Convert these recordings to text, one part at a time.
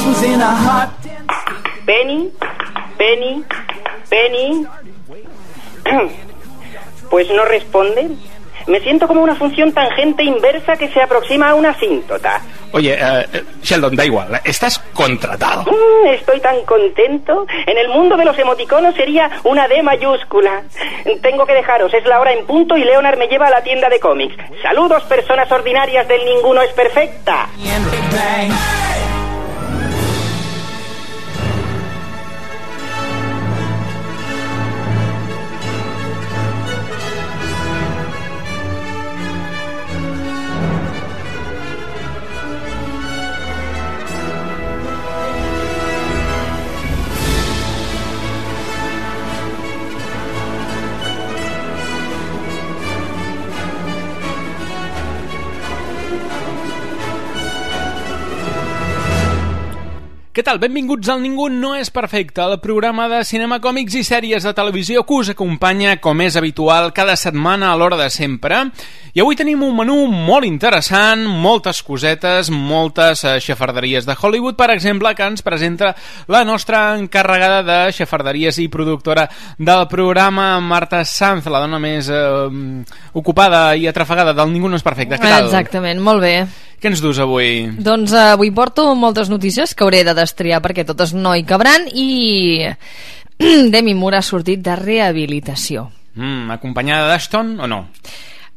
was in a hot... Penny. Pues no responde. Me siento como una función tangente inversa que se aproxima a una asíntota. Oye, Sheldon, da igual, estás contratado. Estoy tan contento. En el mundo de los emoticonos sería una D mayúscula. Tengo que dejaros, es la hora en punto y Leonard me lleva a la tienda de cómics. Saludos, personas ordinarias del Ninguno es Perfecta. Què tal? Benvinguts al Ningú no és perfecte, el programa de cinema, còmics i sèries de televisió que us acompanya, com és habitual, cada setmana a l'hora de sempre. I avui tenim un menú molt interessant, moltes cosetes, moltes xafarderies de Hollywood, per exemple, que ens presenta la nostra encarregada de xafarderies i productora del programa, Marta Sanz, la dona més ocupada i atrafegada del Ningú no és perfecte. Què tal? Exactament, molt bé. Què ens dus avui? Doncs avui porto moltes notícies que hauré de destriar perquè totes no hi cabran i Demi Moore ha sortit de rehabilitació. Acompanyada d'Ashton o no?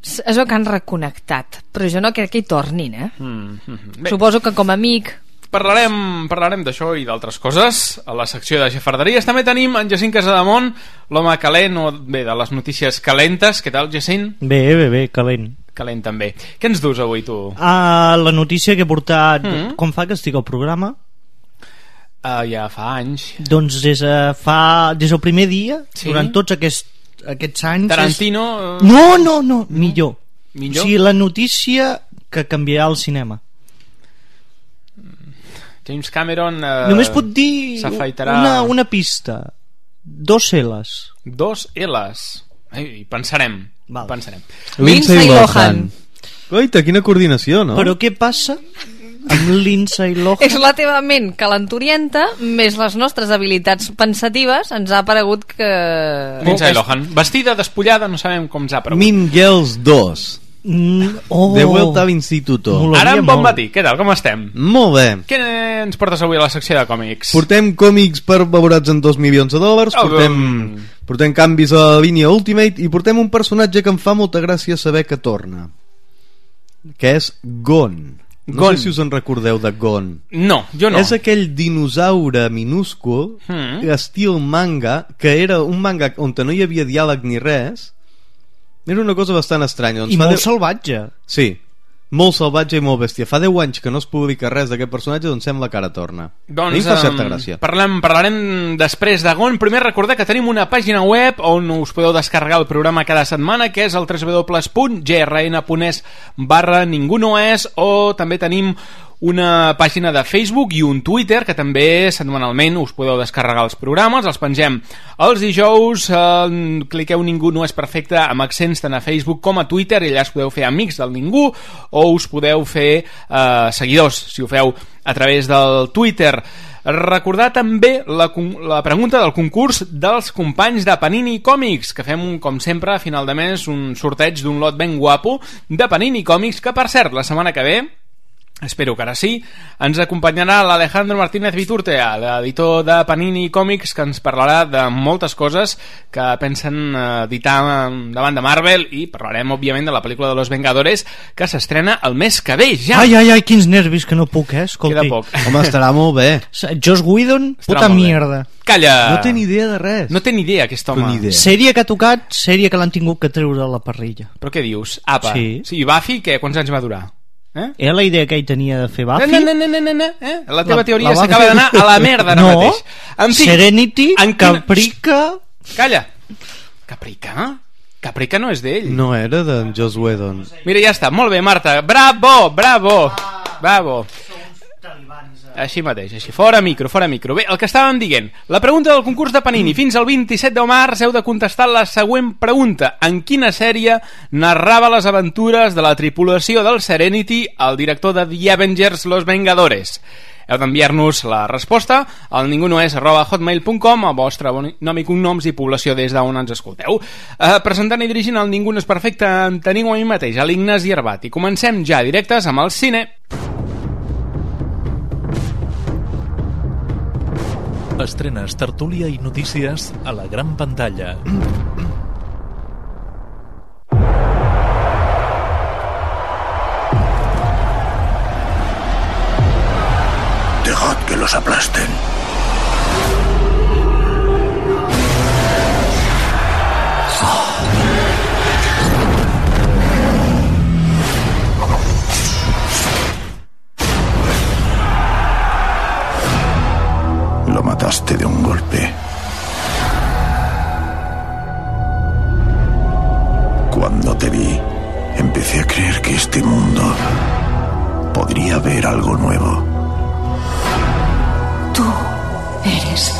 És el que han reconnectat, però jo no crec que hi tornin, Bé. Suposo que com a amic... Parlarem d'això i d'altres coses a la secció de xafarderies. També tenim en Jacint Casademont, l'home calent, o bé, de les notícies calentes. Què tal, Jacint? Bé, calent. Calent també. Què ens dus avui, tu? La notícia que he portat... Com fa que estic al programa? Ja fa anys. Doncs des del primer dia, sí? Durant tots aquests anys... Tarantino... No, millor. Millor? O sigui, la notícia que canviarà el cinema. James Cameron... Només pot dir una pista. 2 L's. 2 L's. Hi pensarem. Val. Pensarem. Lindsay Lohan. Oita, quina coordinació, no? Però què passa amb Lindsay Lohan? És la teva ment calenturienta més les nostres habilitats pensatives. Ens ha paregut que... Lindsay Lohan. Vestida, despullada, no sabem com ens ha paregut. Mean Girls 2. De vuelta a l'instituto. Ara en bon matí, què tal, com estem? Molt bé. Què ens portes avui a la secció de còmics? Portem còmics per valorats en $2 milions, portem canvis a la línia Ultimate i portem un personatge que em fa molta gràcia saber que torna, que és Gon. No sé si us en recordeu de Gon. No, jo no. És aquell dinosaure minúscul, estil manga, que era un manga on no hi havia diàleg ni res. Era una cosa bastant estranya. I molt salvatge. Sí, molt salvatge i molt bèstia. Fa 10 anys que no es publica res d'aquest personatge, doncs sembla que ara torna. Doncs, a mi fa certa gràcia. Parlarem després de Gon. Primer recordar que tenim una pàgina web on us podeu descarregar el programa cada setmana, que és el www.grn.es/ningunoes, o també tenim una pàgina de Facebook i un Twitter que també setmanalment us podeu descarregar els programes, els pengem els dijous, cliqueu Ningú no és perfecte amb accents tant a Facebook com a Twitter i allà us podeu fer amics del Ningú o us podeu fer seguidors si ho feu a través del Twitter. Recordar també la pregunta del concurs dels companys de Panini Còmics, que fem, com sempre, a final de mes un sorteig d'un lot ben guapo de Panini Còmics, que per cert, la setmana que ve, espero que ara sí, ens acompanyarà l'Alejandro Martínez Viturtea, l'editor de Panini Còmics, que ens parlarà de moltes coses que pensen editar davant de Marvel, i parlarem òbviament de la pel·lícula de Los Vengadores, que s'estrena el mes que ve ja. Ai, quins nervis, que no puc, escolti. Queda poc. Home, estarà molt bé. Joss Whedon, puta mierda. Calla! No té ni idea de res. No té ni idea, aquest home. Sèrie que ha tocat, sèrie que l'han tingut que treure a la parrilla. Però què dius? Apa. Sí. Buffy, què? Quants anys va durar? Era la idea que ell tenia de fer Buffy? La teva teoria s'acaba d'anar a la merda ara mateix. En fi, Serenity, Caprica... Calla. Caprica? Caprica no és d'ell. No era de Joss Whedon. Mira, ja està, molt bé, Marta. Bravo. Així mateix, així. Fora micro. Bé, el que estàvem dient, la pregunta del concurs de Panini. Fins al 27 de març heu de contestar la següent pregunta. En quina sèrie narrava les aventures de la tripulació del Serenity el director de The Avengers, Los Vengadores? Heu d'enviar-nos la resposta al ningunoes@hotmail.com, el vostre nom i cognoms i població des d'on ens escolteu. Presentant i dirigint el Ningú no és perfecte en teniu a mi mateix, a l'Ignasi Arbat, i comencem ja directes amb el cine. Estrenes, tertúlia i notícies a la gran pantalla. Dejad que los aplasten. Lo mataste de un golpe. Cuando te vi, empecé a creer que este mundo podría ver algo nuevo. Tú eres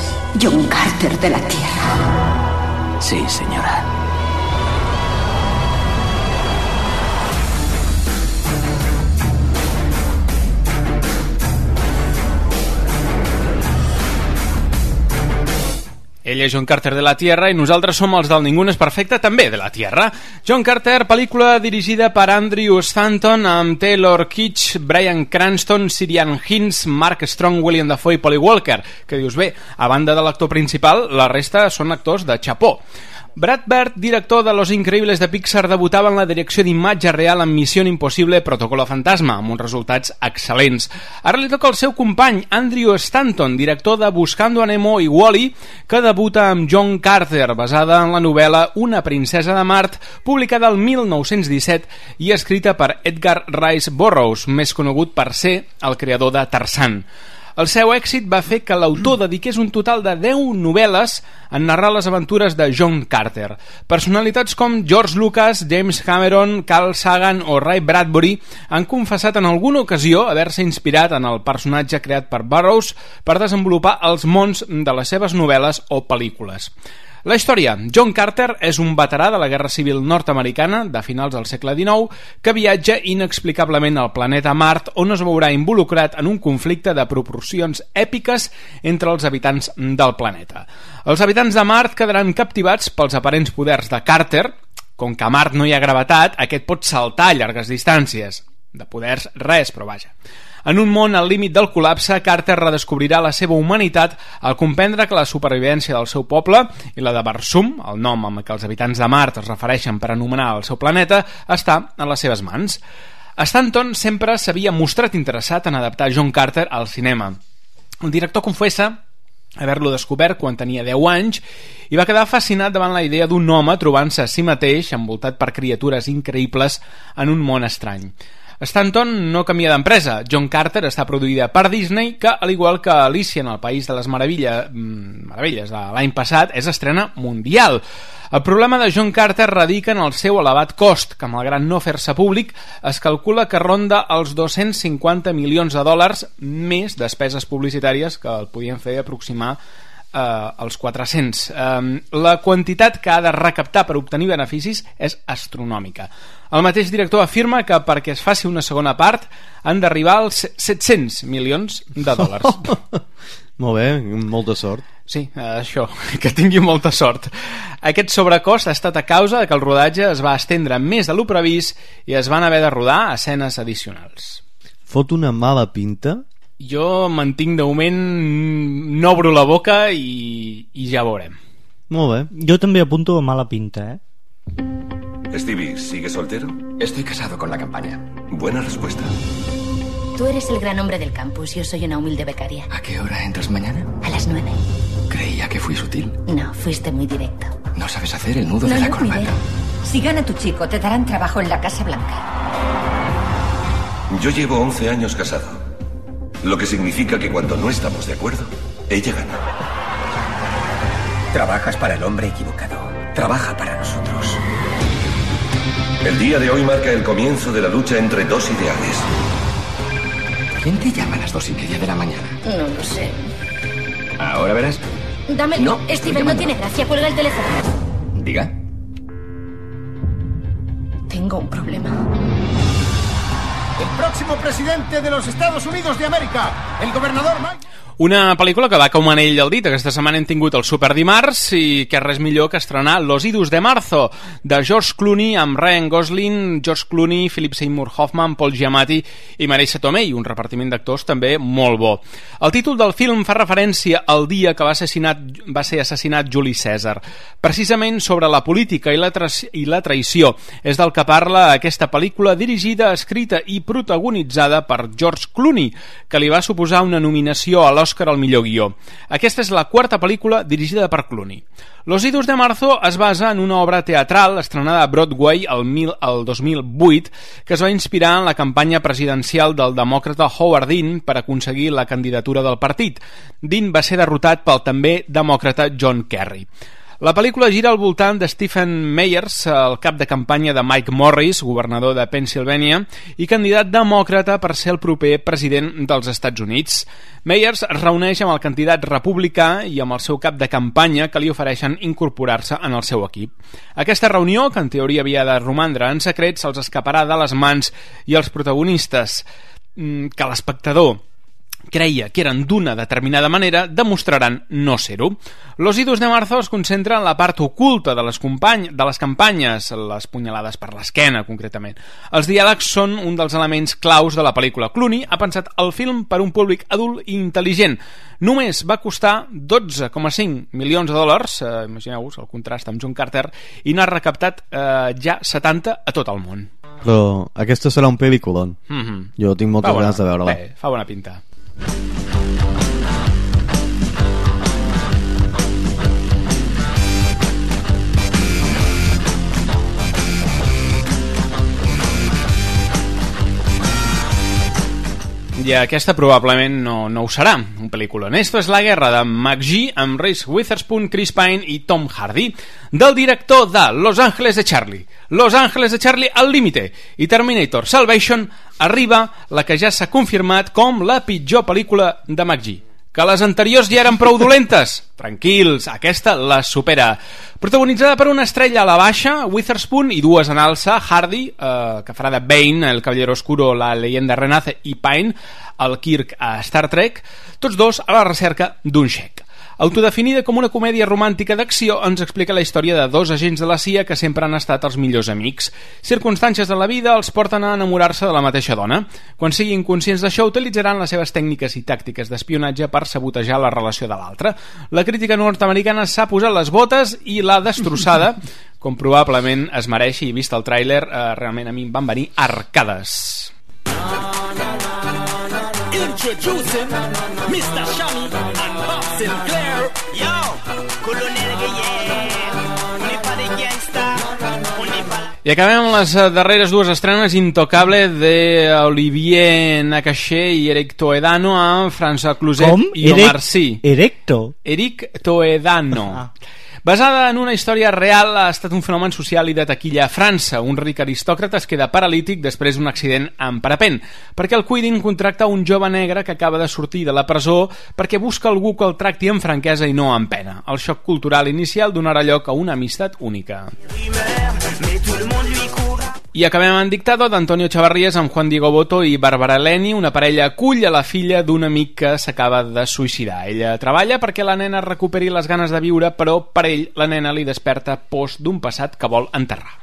John Carter de la Tierra. Sí, señora. Ell és John Carter de la Tierra i nosaltres som els del Ningú no és perfecte, també de la Tierra. John Carter, pel·lícula dirigida per Andrew Stanton amb Taylor Kitsch, Bryan Cranston, Ciarán Hinds, Mark Strong, William Dafoe i Polly Walker. Que dius, bé, a banda de l'actor principal, la resta són actors de xapó. Brad Bird, director de Los Increíbles de Pixar, debutava en la direcció d'imatge real en Missió Impossible Protocolo Fantasma, amb uns resultats excel·lents. Ara li toca el seu company, Andrew Stanton, director de Buscando a Nemo i Wall-E, que debuta amb John Carter, basada en la novel·la Una princesa de Mart, publicada el 1917 i escrita per Edgar Rice Burroughs, més conegut per ser el creador de Tarzan. El seu èxit va fer que l'autor dediqués un total de 10 novel·les a narrar les aventures de John Carter. Personalitats com George Lucas, James Cameron, Carl Sagan o Ray Bradbury han confessat en alguna ocasió haver-se inspirat en el personatge creat per Burroughs per desenvolupar els mons de les seves novel·les o pel·lícules. La història. John Carter és un veterà de la Guerra Civil nord-americana de finals del segle XIX que viatja inexplicablement al planeta Mart, on es veurà involucrat en un conflicte de proporcions èpiques entre els habitants del planeta. Els habitants de Mart quedaran captivats pels aparents poders de Carter. Com que a Mart no hi ha gravetat, aquest pot saltar a llargues distàncies. De poders, res, però vaja. En un món al límit del col·lapse, Carter redescobrirà la seva humanitat al comprendre que la supervivència del seu poble i la de Barsum, el nom amb què els habitants de Mart es refereixen per anomenar el seu planeta, està en les seves mans. Stanton sempre s'havia mostrat interessat en adaptar John Carter al cinema. El director confessa haver-lo descobert quan tenia 10 anys i va quedar fascinat davant la idea d'un home trobant-se a si mateix envoltat per criatures increïbles en un món estrany. Stanton no canvia d'empresa. John Carter està produïda per Disney, que, al igual que Alicia en el País de les Meravelles de l'any passat, és estrena mundial. El problema de John Carter radica en el seu elevat cost, que malgrat no fer-se públic, es calcula que ronda els 250 milions de dòlars més despeses publicitàries que el podien fer aproximar als 400. La quantitat que ha de recaptar per obtenir beneficis és astronòmica. El mateix director afirma que perquè es faci una segona part han d'arribar als 700 milions de dòlars. Molt bé, molta sort. Sí, això, que tingui molta sort. Aquest sobrecost ha estat a causa de que el rodatge es va estendre més de lo previst i es van haver de rodar escenes addicionals. Fot una mala pinta? Jo mantinc de moment, no obro la boca i ja veurem. Molt bé. Jo també apunto a mala pinta, Stevie, ¿sigue soltero? Estoy casado con la campaña. Buena respuesta. Tú eres el gran hombre del campus, yo soy una humilde becaria. ¿A qué hora entras mañana? A las 9. Creía que fui sutil. No, fuiste muy directo. No sabes hacer el nudo de la corbata. Si gana tu chico, te darán trabajo en la Casa Blanca. Yo llevo 11 años casado. Lo que significa que cuando no estamos de acuerdo, ella gana. Trabajas para el hombre equivocado. Trabaja para nosotros. El día de hoy marca el comienzo de la lucha entre dos ideales. ¿Quién te llama a las 2:30 de la mañana? No lo sé. Ahora verás. Dámelo. No, Steven, no tiene gracia. Cuelga el teléfono. Diga. Tengo un problema. el próximo presidente de los Estados Unidos de América, el gobernador Mike. Una pel·lícula que va com anell al dit. Aquesta setmana hem tingut el Superdimarts i que res millor que estrenar Los Idus de Marzo, de George Clooney amb Ryan Gosling, George Clooney, Philip Seymour Hoffman, Paul Giamatti i Marisa Tomei, un repartiment d'actors també molt bo. El títol del film fa referència al dia que va ser assassinat Juli Cèsar, precisament sobre la política i la traïció. És del que parla aquesta pel·lícula dirigida, escrita i protagonitzada per George Clooney, que li va suposar una nominació a l'Oscar al millor guió. Aquesta és la quarta pel·lícula dirigida per Clooney. Los Idus de Marzo es basa en una obra teatral estrenada a Broadway el 2008 que es va inspirar en la campanya presidencial del demòcrata Howard Dean per aconseguir la candidatura del partit. Dean va ser derrotat pel també demòcrata John Kerry. La pel·lícula gira al voltant de Stephen Meyers, el cap de campanya de Mike Morris, governador de Pennsylvania, i candidat demòcrata per ser el proper president dels Estats Units. Meyers es reuneix amb el candidat republicà i amb el seu cap de campanya que li ofereixen incorporar-se en el seu equip. Aquesta reunió, que en teoria havia de romandre en secret, se'ls escaparà de les mans i els protagonistes, que l'espectador creia que eren d'una determinada manera, demostraran no ser-ho. Los Idus de Marzo es concentra en la part oculta de les campanyes, les punyalades per l'esquena, concretament. Els diàlegs són un dels elements claus de la pel·lícula. Clooney ha pensat el film per un públic adult i intel·ligent. Només va costar $12,5 milions, imagineu-vos el contrast amb John Carter, i n'ha recaptat ja 70 a tot el món. Però aquesta serà un pel·lículon. Jo tinc moltes ganes de veure-la. Bé, fa bona pinta. I aquesta probablement no ho serà, un pel·lícula. Esto és La guerra de McGee amb Reese Witherspoon, Chris Pine i Tom Hardy, del director de Los Ángeles de Charlie, Los Ángeles de Charlie al límite i Terminator Salvation. Arriba la que ja s'ha confirmat com la pitjor pel·lícula de McGee. Que les anteriors ja eren prou dolentes? Tranquils, aquesta la supera. Protagonitzada per una estrella a la baixa, Witherspoon, i dues en alça, Hardy, que farà de Bane, el Caballero Oscuro, la leyenda renace, i Pine, el Kirk a Star Trek, tots dos a la recerca d'un xec. Autodefinida com una comèdia romàntica d'acció, ens explica la història de dos agents de la CIA que sempre han estat els millors amics. Circumstàncies de la vida els porten a enamorar-se de la mateixa dona. Quan siguin conscients d'això, utilitzaran les seves tècniques i tàctiques d'espionatge per sabotejar la relació de l'altre. La crítica nord-americana s'ha posat les botes i l'ha destrossada, com probablement es mereix, i vist el tràiler, realment a mi em van venir arcades. Introducing Mr. Shami and Bob Sinclair. Yo, Colonel I acabem amb les darreres dues estrenes. Intocable de Olivier Nakache i Eric Toledano amb François Cluzet i Omar Sy. Eric Toledano. Basada en una història real, ha estat un fenomen social i de taquilla a França. Un ric aristòcrata es queda paralític després d'un accident en parapent, perquè el cuidin contracta un jove negre que acaba de sortir de la presó perquè busca algú que el tracti amb franquesa i no amb pena. El xoc cultural inicial donarà lloc a una amistat única. I acabem en Dictado d'Antonio Chavarrías amb Juan Diego Boto i Bárbara Leni. Una parella acull a la filla d'un amic que s'acaba de suïcidar. Ella treballa perquè la nena recuperi les ganes de viure, però per ell la nena li desperta pors d'un passat que vol enterrar.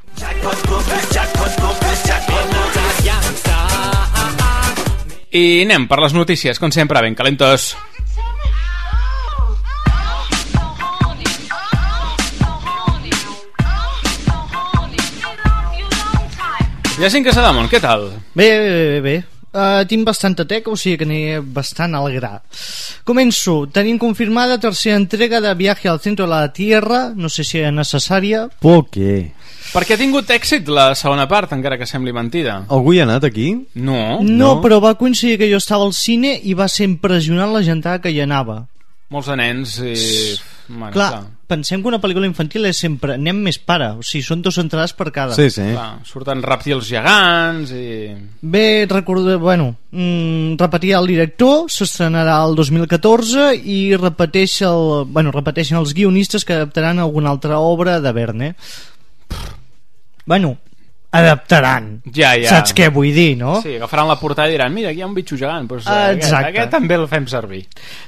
I anem per les notícies, com sempre, ben calentes. Jacint Casademont, què tal? Bé. Tinc bastanta teca, o sigui que aniré bastant al gra. Començo. Tenim confirmada tercera entrega de Viaje al centro de la Tierra. No sé si era necessària. ¿Por qué? Perquè ha tingut èxit la segona part, encara que sembli mentida. Algú hi ha anat aquí? No, però va coincidir que jo estava al cine i va ser impressionant la gentada que hi anava. Molts de nens i... Bueno, clar, pensem que una pel·lícula infantil és sempre anem més pare, o sigui, són 2 entrades per cada. Sí. Clar, surten rèptils gegants i... Bé, repetia el director, s'estrenarà el 2014 i repeteixen els guionistes que adaptaran alguna altra obra de Verne. adaptaran. Ja. Saps què vull dir, no? Sí, agafaran la portada i diran, mira, aquí hi ha un bitxo gegant, doncs aquest també el fem servir.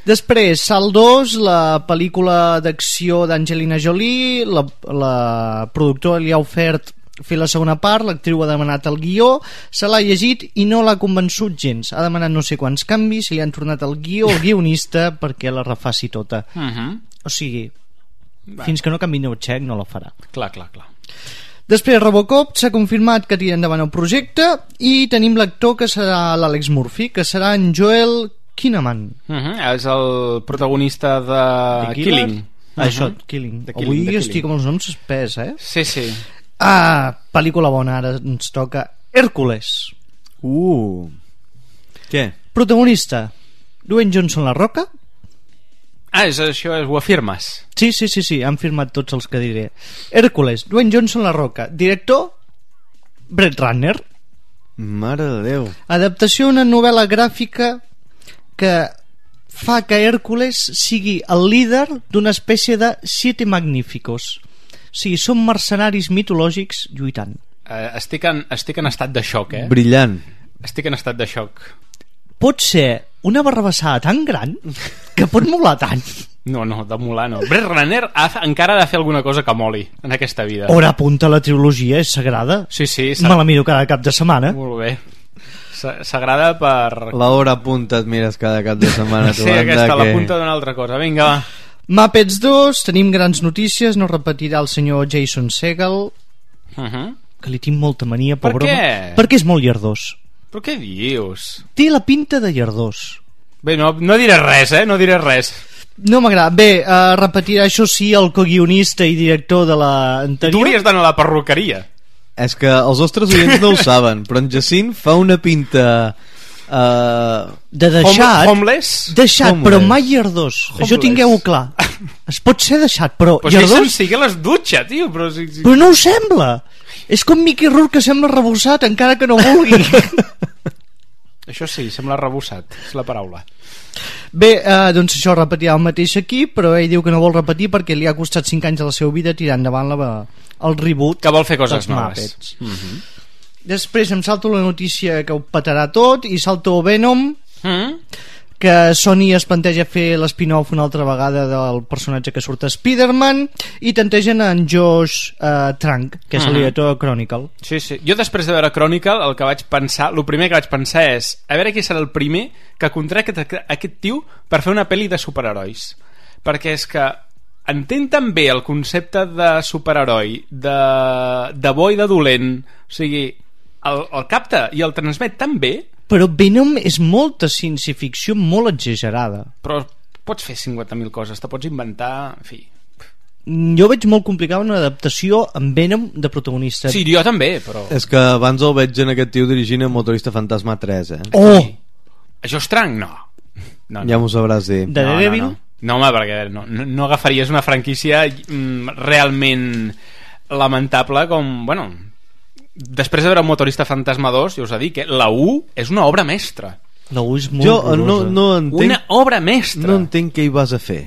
Després, Salt 2, la pel·lícula d'acció d'Angelina Jolie, la productora li ha ofert fer la segona part, l'actriu ha demanat el guió, se l'ha llegit i no l'ha convençut gens. Ha demanat no sé quants canvis, li han tornat el guió al guionista perquè la refaci tota. O sigui, fins que no canvi el xec no la farà. Clar. Després, Robocop, s'ha confirmat que tira endavant el projecte i tenim l'actor que serà l'Àlex Murphy, que serà en Joel Kinnaman. És el protagonista de Killing. Això, Killing. Avui estic amb els noms espès, Sí. Pel·lícula bona, ara ens toca Hèrcules. Què? Protagonista, Dwayne Johnson La Roca. Ho afirmes? Sí, han firmat tots els que diré. Hèrcules, Dwayne Johnson La Roca. Director, Brett Ratner. Mare de Déu. Adaptació d'una novel·la gràfica que fa que Hèrcules sigui el líder d'una espècie de 7 magníficos. Sí, són mercenaris mitològics lluitant. Estic en estat de xoc, Brillant. Estic en estat de xoc. Pot ser una barrabassada tan gran que pot molar tant. No, de molar no. Brett Ratner encara ha de fer alguna cosa que moli en aquesta vida. Hora punta, la trilogia és sagrada. Sí. Me la miro cada cap de setmana. Molt bé. Sagrada per... La hora punta et mires cada cap de setmana. Sí, aquesta, la punta d'una altra cosa. Vinga, va. Muppets 2, tenim grans notícies, no repetirà el senyor Jason Segel, que li tinc molta mania, pobre home. Per què? Perquè és molt llardós. Però què dius? Té la pinta de llardós. Bé, no diré res, no diré res. No m'agrada. Bé, repetirà això sí el coguionista i director de l'anterior. Tu hauries d'anar a la perruqueria. És que els nostres oients no ho saben, però en Jacint fa una pinta... de deixat, deixat, però mai llardós. Això tingueu-ho clar. Es pot ser deixat, però llardós... Sí que les dutxa, tio, però... Però no ho sembla. És com Mickey Rourke, que sembla rebossat encara que no vulgui. Això sí, sembla rebossat, és la paraula. Bé, doncs això, repetirà el mateix aquí, però ell diu que no vol repetir perquè li ha costat 5 anys de la seva vida tirar endavant el reboot, que vol fer coses noves. Després em salto la notícia que ho petarà tot i salto Venom, que Sony es planteja fer l'spin-off una altra vegada del personatge que surt a Spider-Man, i tantegen en Josh Trank, que és el director de Chronicle. Sí. Jo després de veure Chronicle el primer que vaig pensar és a veure qui serà el primer que contracta aquest tio per fer una pel·li de superherois, perquè és que entén tan bé el concepte de superheroi, de bo i de dolent, o sigui, el capta i el transmet tan bé. Però Venom és molta ciència-ficció molt exagerada. Però pots fer 50.000 coses, te pots inventar, en fi. Jo veig molt complicada una adaptació amb Venom de protagonista. Sí, jo també, però... És que abans el veig en aquest tio dirigint el Motorista Fantasma 3, Oh! Això és tranc? No. Ja m'ho sabràs dir. De Daredevil? No, home, perquè no agafaries una franquícia realment lamentable com... Bueno, després de veure Motorista Fantasma 2, ja us he dit que la 1 és una obra mestra. La 1 és molt no entenc... Una obra mestra. No entenc què hi vas a fer.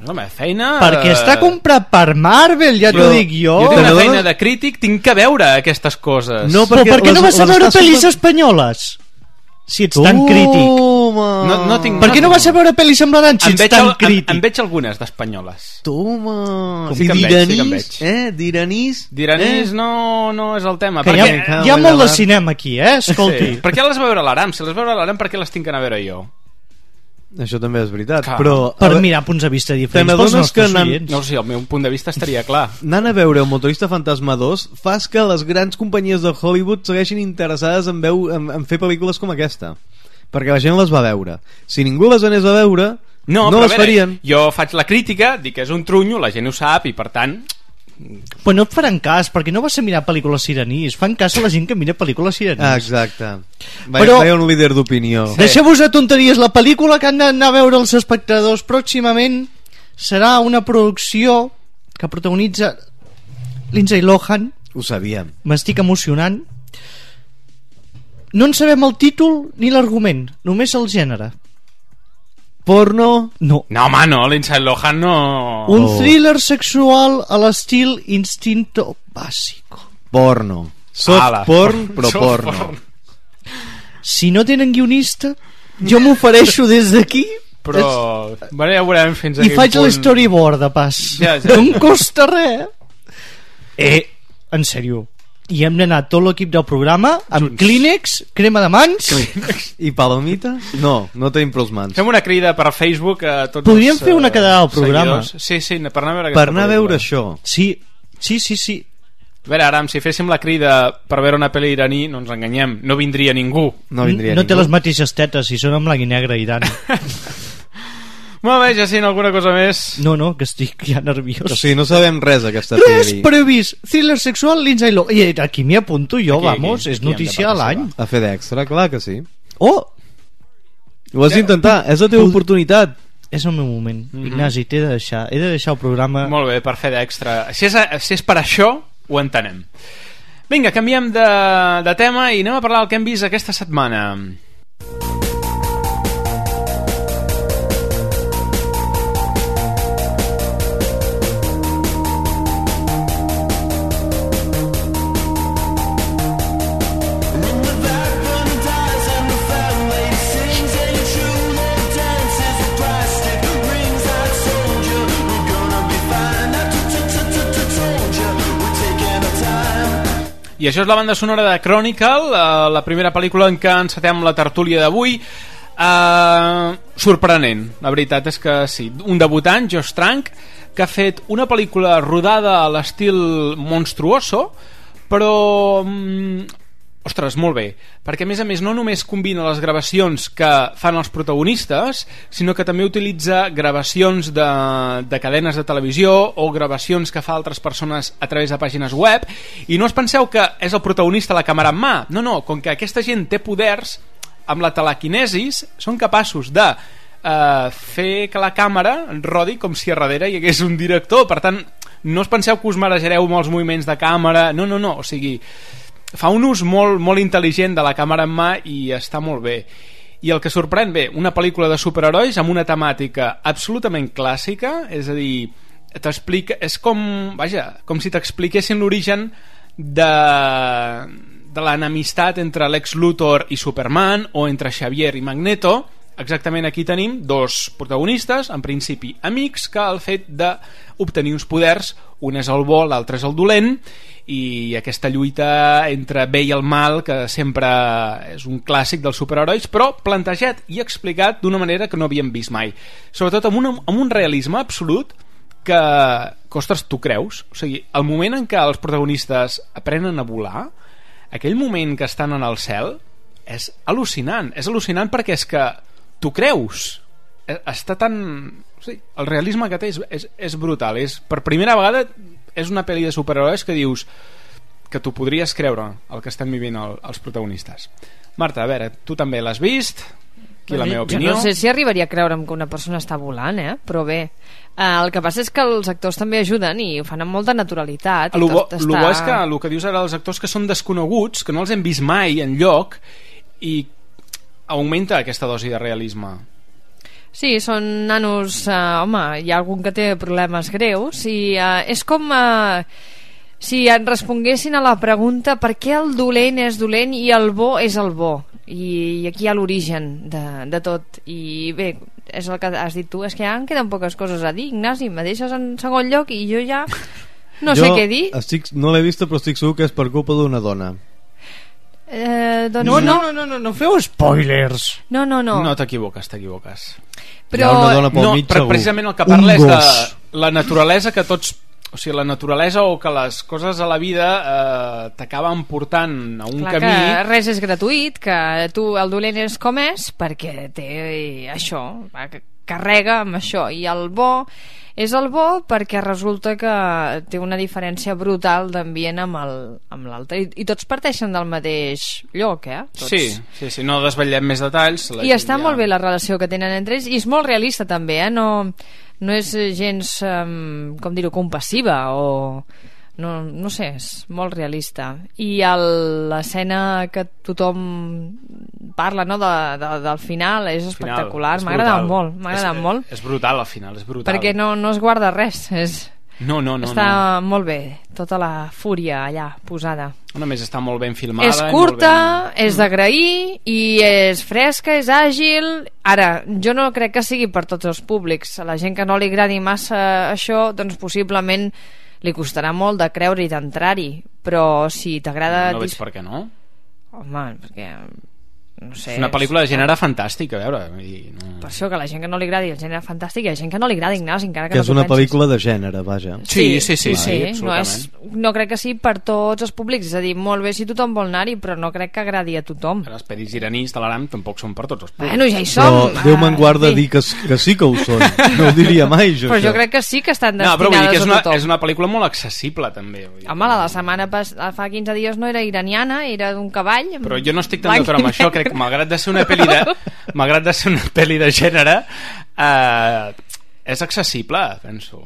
Home, feina... Perquè està comprat per Marvel, ja t'ho dic jo. Jo tinc una feina de crític, tinc que veure aquestes coses. No, però per què no vas a veure pel·lis espanyoles? Si ets tan crític. No tinc... Per què no vas a veure pel·lis semblanants si ets tan crític? En veig algunes d'espanyoles. Toma! Sí que en veig. Diranís? Diranís no és el tema. Hi ha molt de cinema aquí, escolti. Per què les va veure l'Aram? Si les va veure l'Aram, per què les tinc que anar a veure jo? Això també és veritat, però... Per mirar punts de vista diferents pels nostres oients. No, sí, el meu punt de vista estaria clar. Anant a veure el Motorista Fantasma 2 fas que les grans companyies de Hollywood segueixin interessades en fer pel·lícules com aquesta, perquè la gent les va veure. Si ningú les anés a veure, no les farien. Jo faig la crítica, dic que és un trunyo, la gent ho sap, i per tant... Però no et faran cas, perquè no vas a mirar pel·lícules sirenís. Fan cas a la gent que mira pel·lícules sirenís. Exacte. Vaig un líder d'opinió. Deixeu-vos de tonteries. La pel·lícula que han d'anar a veure els espectadors pròximament serà una producció que protagonitza Lindsay Lohan. Ho sabíem. M'estic emocionant. No en sabem el títol ni l'argument, només el gènere. Porno? No. No, home, no, Lindsay Lohan no... Un thriller sexual a l'estil Instinto Básico. Porno. Soft porn, però porno. Si no tenen guionista, jo m'ofereixo des d'aquí. Però bueno, ja veurem fins a i quin faig punt... l'storyboard de pas. Ja. No em costa res. En sèrio, i hem d'anar tot l'equip del programa amb Kleenex, crema de mans i palomites. No tenim prous mans. Fem una crida per Facebook a tots. Podríem els fer una quedada al programa. Sí, per anar a veure per anar a veure això. Sí. A veure, Aram, si féssim la crida per veure una pel·li iraní, no ens enganyem, no vindria ningú. No té les mateixes tetes, si són en blanc i negre, Iran. Molt bé, Jacint, alguna cosa més? No, que estic ja nerviós. O sigui, no sabem res aquesta res peli. previst. Thriller sexual, Lindsay Lohan. I aquí m'hi apunto jo, vamos, és notícia a l'any. A fer d'extra, clar que sí. Oh! Ho has d'intentar, és la teva oportunitat. És el meu moment. Ignasi, he de deixar el programa. Molt bé, per fer d'extra. Si és per això, ho entenem. Vinga, canviem de tema i anem a parlar del que hem vist aquesta setmana. I això és la banda sonora de Chronicle, la primera pel·lícula en què encetem la tertúlia d'avui. Sorprenent, la veritat és que sí. Un debutant, Josh Trank, que ha fet una pel·lícula rodada a l'estil monstruoso, però... ostres, molt bé, perquè a més no només combina les gravacions que fan els protagonistes, sinó que també utilitza gravacions de cadenes de televisió o gravacions que fa altres persones a través de pàgines web, i no us penseu que és el protagonista la càmera en mà, no, com que aquesta gent té poders, amb la telequinesis són capaços de fer que la càmera rodi com si a darrere hi hagués un director. Per tant, no us penseu que us marejareu amb els moviments de càmera, no, o sigui, fa un ús molt intel·ligent de la càmera en mà i està molt bé. I el que sorprèn, bé, una pel·lícula de superherois amb una temàtica absolutament clàssica, és a dir, t'explica, és com si t'expliquessin l'origen de l'enemistat entre Lex Luthor i Superman, o entre Xavier i Magneto. Exactament, aquí tenim dos protagonistes, en principi amics, que al fet d'obtenir uns poders, un és el bo, l'altre és el dolent, i aquesta lluita entre bé i el mal, que sempre és un clàssic dels superherois, però plantejat i explicat d'una manera que no havíem vist mai, sobretot amb un realisme absolut que ostres, tu creus? O sigui, el moment en què els protagonistes aprenen a volar, aquell moment que estan en el cel, és al·lucinant perquè és que tu creus, està tan... O sigui, el realisme que té és brutal, per primera vegada és una pel·li de superherois que dius que tu podries creure el que estan vivint els protagonistes. Marta, a veure, tu també l'has vist? Aquí la meva opinió. Jo no sé si arribaria a creure'm que una persona està volant, però bé, el que passa és que els actors també ajuden i ho fan amb molta naturalitat. El bo és que el que dius ara, els actors que són desconeguts, que no els hem vist mai enlloc, i augmenta aquesta dosi de realisme. Sí, són nanos, home, hi ha algun que té problemes greus i és com si en responguessin a la pregunta per què el dolent és dolent i el bo és el bo, i aquí hi ha l'origen de tot. I bé, és el que has dit tu, és que ja em queden poques coses a dir. Ignasi, me deixes en segon lloc i jo ja no sé què dir. No l'he vista, però estic segur que és per culpa d'una dona. Doncs no feu spoilers. No t'equivoques. Però hi ha una dona pel mig, segur. Precisament el que parla és de la naturalesa que tots, o sigui, la naturalesa o que les coses a la vida t'acaben portant a un camí. Que res és gratuït, que tu el dolent és com és perquè té això, carrega amb això, i el bo és el bo perquè resulta que té una diferència brutal d'ambient amb l'altre, i tots parteixen del mateix lloc, tots. Sí, no desvetllem més detalls. I està molt bé la relació que tenen entre ells, i és molt realista també, no és gens, com dir-ho, compassiva, o no sé, és molt realista. I l'escena que tothom parla, no, del final és espectacular, m'ha agradat molt. És brutal al final, és brutal. Perquè no es guarda res, Està molt bé, tota la fúria allà posada. A més, està molt ben filmada. És curta, és d'agrair i és fresca, és àgil. Ara, jo no crec que sigui per tots els públics. A la gent que no li agradi massa això, doncs possiblement li costarà molt de creure i d'entrar-hi, però si t'agrada... No veig per què no. Home, perquè... no sé, és una pel·lícula de gènere fantàstic, a veure, no... Per això que a la gent que no li agradi el gènere fantàstic, hi ha gent que no li agrada, Ignasi, encara que és no una pel·lícula de gènere, vaja. Sí, no crec que sigui per tots els públics, és a dir, molt bé si tothom vol anar-hi, però no crec que agradi a tothom. Els peris iranis de l'Aram tampoc són per tots els públics. Bueno, ja hi som. Però Déu me'n guarda dir que sí que ho són. No ho diria mai, jo. Però jo crec que sí que estan destinades però vull dir que a tothom. És una pel·lícula molt accessible, també. Home, la setmana fa 15 dies no era iraniana, era d'un cavall. Però jo no estic tan d'acord amb això, crec que malgrat de ser una pel·li de gènere, és accessible, penso.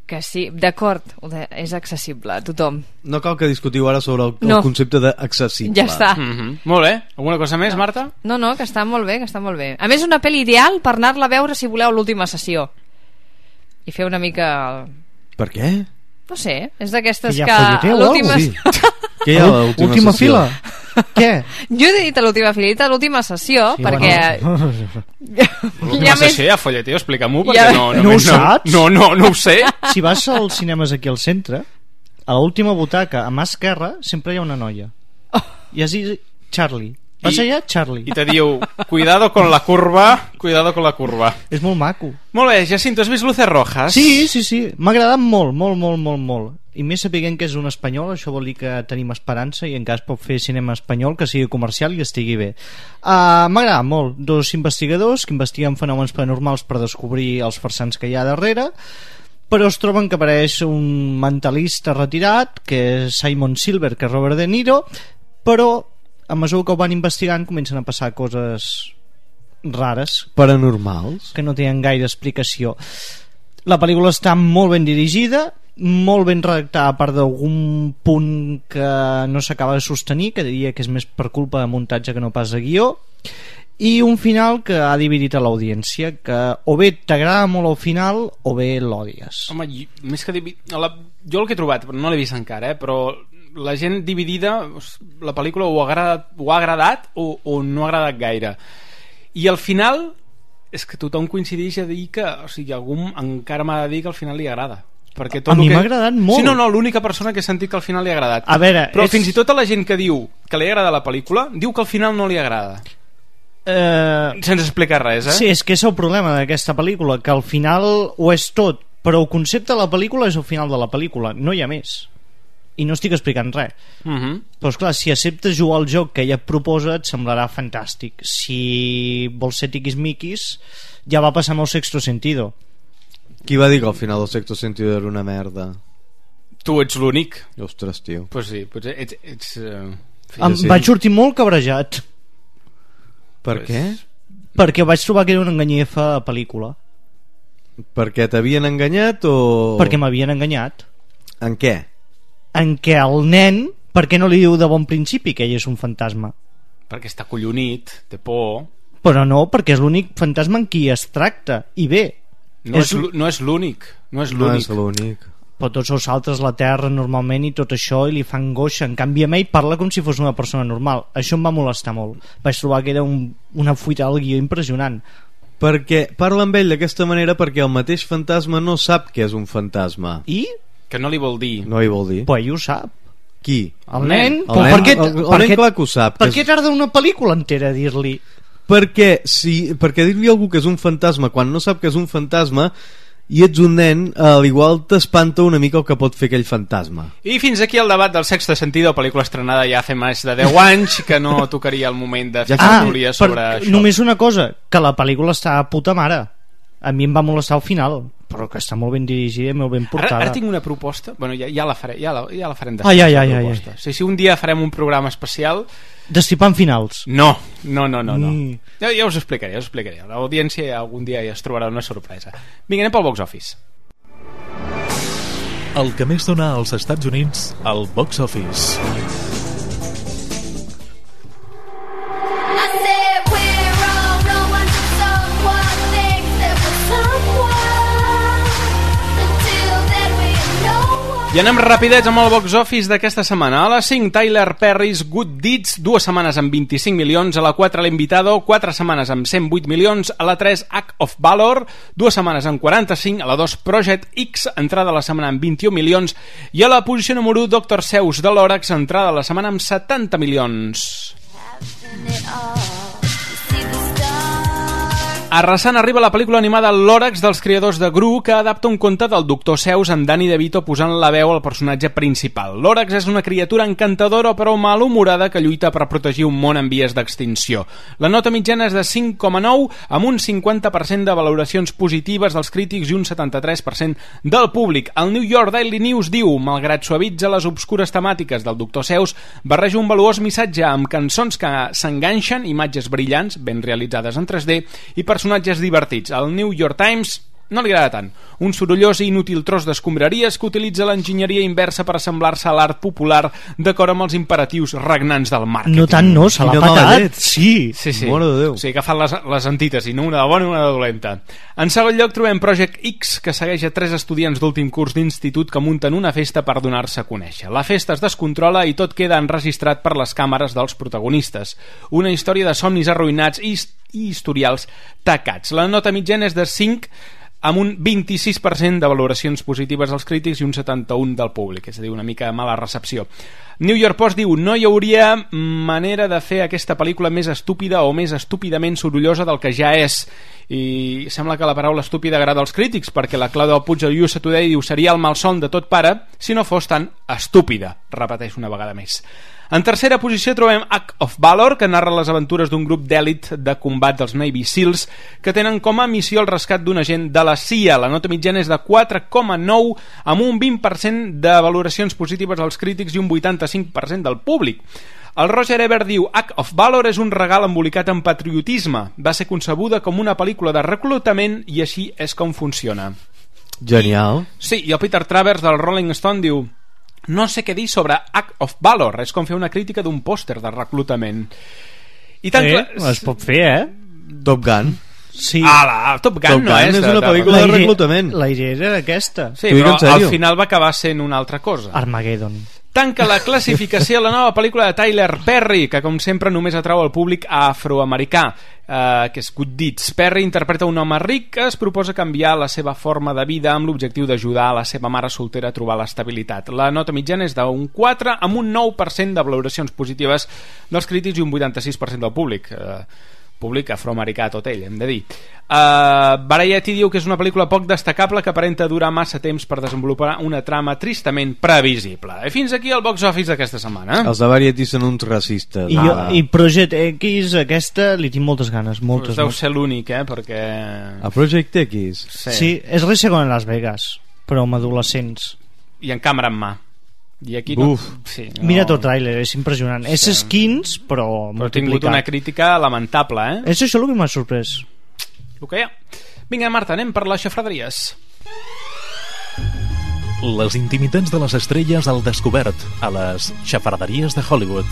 Que sí, d'acord, és accessible a tothom. No cal que discutiu ara sobre el concepte d'accessible. Ja està. Molt bé. Alguna cosa més, Marta? No, que està molt bé, A més, una pel·li ideal per anar-la a veure si voleu l'última sessió. I fer una mica... Per què? No sé, és d'aquestes que... folleteu, l'última... Sí. Què hi ha a l'última fila? Què? Jo he dit a l'última fila, he dit a l'última sessió, sí, perquè... L'última sessió hi ha folleteo, explica-m'ho, perquè no ho saps? No ho sé. Si vas als cinemes aquí al centre, a l'última butaca, a mà esquerra, sempre hi ha una noia. I has dit Charlie. Vas allà, Charlie. I te diu, cuidado con la curva. És molt maco. Molt bé, Jacinto, has vist Luces Rojas? Sí. M'ha agradat molt. I més sapiguent que és un espanyol, això vol dir que tenim esperança i encara es pot fer cinema espanyol que sigui comercial i estigui bé. M'ha agradat molt. 2 investigadors que investiguen fenòmens paranormals per descobrir els farsans que hi ha darrere, però es troben que apareix un mentalista retirat, que és Simon Silver, que és Robert De Niro, però a mesura que ho van investigant comencen a passar coses rares, paranormals, que no tenen gaire explicació. La pel·lícula està molt ben dirigida, molt ben redactada, a part d'algun punt que no s'acaba de sostenir, que diria que és més per culpa de muntatge que no pas de guió, i un final que ha dividit a l'audiència, que o bé t'agrada molt el final o bé l'odies. Home, més que jo el que he trobat, però no l'he vist encara, però la gent dividida, la pel·lícula o ha agradat o no ha agradat gaire. I al final és que tothom coincideix a dir que, o sigui, algú encara m'ha de dir que al final li agrada. Perquè tot a mi m'ha agradat molt. Sí, no, l'única persona que he sentit que al final li ha agradat. A veure, però fins i tot a la gent que diu que li agrada la pel·lícula, diu que al final no li agrada. Sense explicar res, Sí, és que és el problema d'aquesta pel·lícula, que al final ho és tot, però el concepte de la pel·lícula és el final de la pel·lícula, no hi ha més. I no estic explicant res. Però esclar, si acceptes jugar al joc que ella et proposa, et semblarà fantàstic. Si vols ser tiquis-miquis, ja va passar amb el Sexto Sentido. Qui va dir que al final el Sexto Sentido era una merda? Tu ets l'únic. Ostres, tio. Pues sí, potser ets vaig sortir molt cabrejat. Per què? Perquè vaig trobar que era una enganyefa pel·lícula. Perquè t'havien enganyat o...? Perquè m'havien enganyat. En què? En què el nen, per què no li diu de bon principi que ell és un fantasma? Perquè està collonit, té por. Però no, perquè és l'únic fantasma en qui es tracta. I bé, no és l'únic. Però tots els altres la terra normalment i tot això i li fa angoixa. En canvi a ell parla com si fos una persona normal. Això em va molestar molt. Vaig trobar que era una fuita al guió impressionant. Perquè parla amb ell d'aquesta manera perquè el mateix fantasma no sap que és un fantasma. I? Que no li vol dir. No li vol dir. Però ell ho sap. Qui? El nen. El nen clar que ho sap. Per què tarda una pel·lícula entera a dir-li? Perquè dir-li a algú que és un fantasma quan no sap que és un fantasma i ets un nen, a l'igual t'espanta una mica el que pot fer aquell fantasma. I fins aquí el debat del Sexto Sentido, pel·lícula estrenada ja fa més de 10 anys, que no tocaria el moment de fer tertúlia sobre això. Només una cosa, que la pel·lícula està a puta mare. A mi em va molestar al final, però que està molt ben dirigida i molt ben portada. Ara tinc una proposta, bueno, ja la farem després. Si un dia farem un programa especial Destripant finals. No. Ja us ho explicaré. L'audiència algun dia ja es trobarà una sorpresa. Vinga, anem pel box office. El que més dona als Estats Units, el box office. I anem rapidets amb el box office d'aquesta setmana. A la 5, Tyler Perry's Good Deeds, 2 setmanes amb 25 milions. A la 4, L'Invitado, 4 setmanes amb 108 milions. A la 3, Act of Valor, 2 setmanes amb 45. A la 2, Project X, entrada a la setmana amb 21 milions. I a la posició número 1, Dr. Seuss de l'Òrax, entrada a la setmana amb 70 milions. Arrasant arriba la pel·lícula animada L'Òrax dels creadors de Gru, que adapta un conte del Dr. Seuss amb Danny DeVito posant la veu al personatge principal. L'Òrax és una criatura encantadora però malhumorada que lluita per protegir un món en vies d'extinció. La nota mitjana és de 5,9 amb un 50% de valoracions positives dels crítics i un 73% del públic. El New York Daily News diu: malgrat suavitza les obscures temàtiques del Dr. Seuss, barreja un valuós missatge amb cançons que s'enganxen, imatges brillants, ben realitzades en 3D i personatges divertits. Al New York Times no li agrada tant. Un sorollós i inútil tros d'escombraries que utilitza l'enginyeria inversa per assemblar-se a l'art popular d'acord amb els imperatius regnants del màrqueting. No tant, no, se l'ha patat. Sí. Mare de Déu. Sí, que fan les antítesis, no? Una de bona i una de dolenta. En segon lloc trobem Project X, que segueix a 3 estudiants d'últim curs d'institut que munten una festa per donar-se a conèixer. La festa es descontrola i tot queda enregistrat per les càmeres dels protagonistes. Una història de somnis arruïnats i historials tacats. La nota mitjana és de 5 amb un 26% de valoracions positives dels crítics i un 71% del públic, és a dir, una mica mala recepció. New York Post diu: no hi hauria manera de fer aquesta pel·lícula més estúpida o més estúpidament sorollosa del que ja és. I sembla que la paraula estúpida agrada als crítics, perquè la Clau del Puig de USA Today diu: seria el malson de tot pare si no fos tan estúpida. Repeteix una vegada més. En tercera posició trobem Act of Valor, que narra les aventures d'un grup d'èlit de combat dels Navy Seals que tenen com a missió el rescat d'un agent de la CIA. La nota mitjana és de 4,9 amb un 20% de valoracions positives als crítics i un 85% del públic. El Roger Ebert diu: Act of Valor és un regal embolicat en patriotisme. Va ser concebuda com una pel·lícula de reclutament i així és com funciona. Genial. Sí, i el Peter Travers del Rolling Stone diu: no sé què dir sobre Act of Valor, és com fer una crítica d'un pòster de reclutament. I tant es pot fer, Top Gun. Sí. Top Gun no és una pel·lícula de reclutament. La idea era aquesta. Sí, però al final va acabar sent una altra cosa. Armageddon. Tanca la classificació la nova pel·lícula de Tyler Perry, que com sempre només atrau el públic afroamericà, que és Good Deeds. Perry interpreta un home ric que es proposa canviar la seva forma de vida amb l'objectiu d'ajudar a la seva mare soltera a trobar l'estabilitat. La nota mitjana és d'un 4 amb un 9% de valoracions positives dels crítics i un 86% del públic. Públic afroamericà tot ell, hem de dir. Variety diu que és una pel·lícula poc destacable que aparenta durar massa temps per desenvolupar una trama tristament previsible. I fins aquí el box office d'aquesta setmana. Els de Variety són uns racistes. I Project X, aquesta, li tinc moltes ganes. Moltes. Deu ser l'únic, perquè... A Project X? Sí, és res segon en Las Vegas, però amb adolescents. I en càmera en mà. I aquí no, sí, no... Mira tot tràiler, és impressionant. És skins, però ha tingut una crítica lamentable, És això el que m'ha sorprès. El que hi ha. Vinga, Marta, anem per les xafraderies. Les intimitats de les estrelles al descobert a les xafarderies de Hollywood.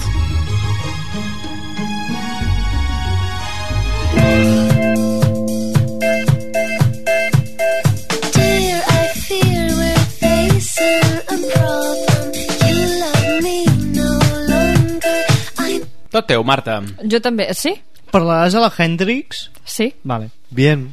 Tot teu, Marta. Jo també, sí? Parlaràs a la Hendrix? Sí. Vale. Bien.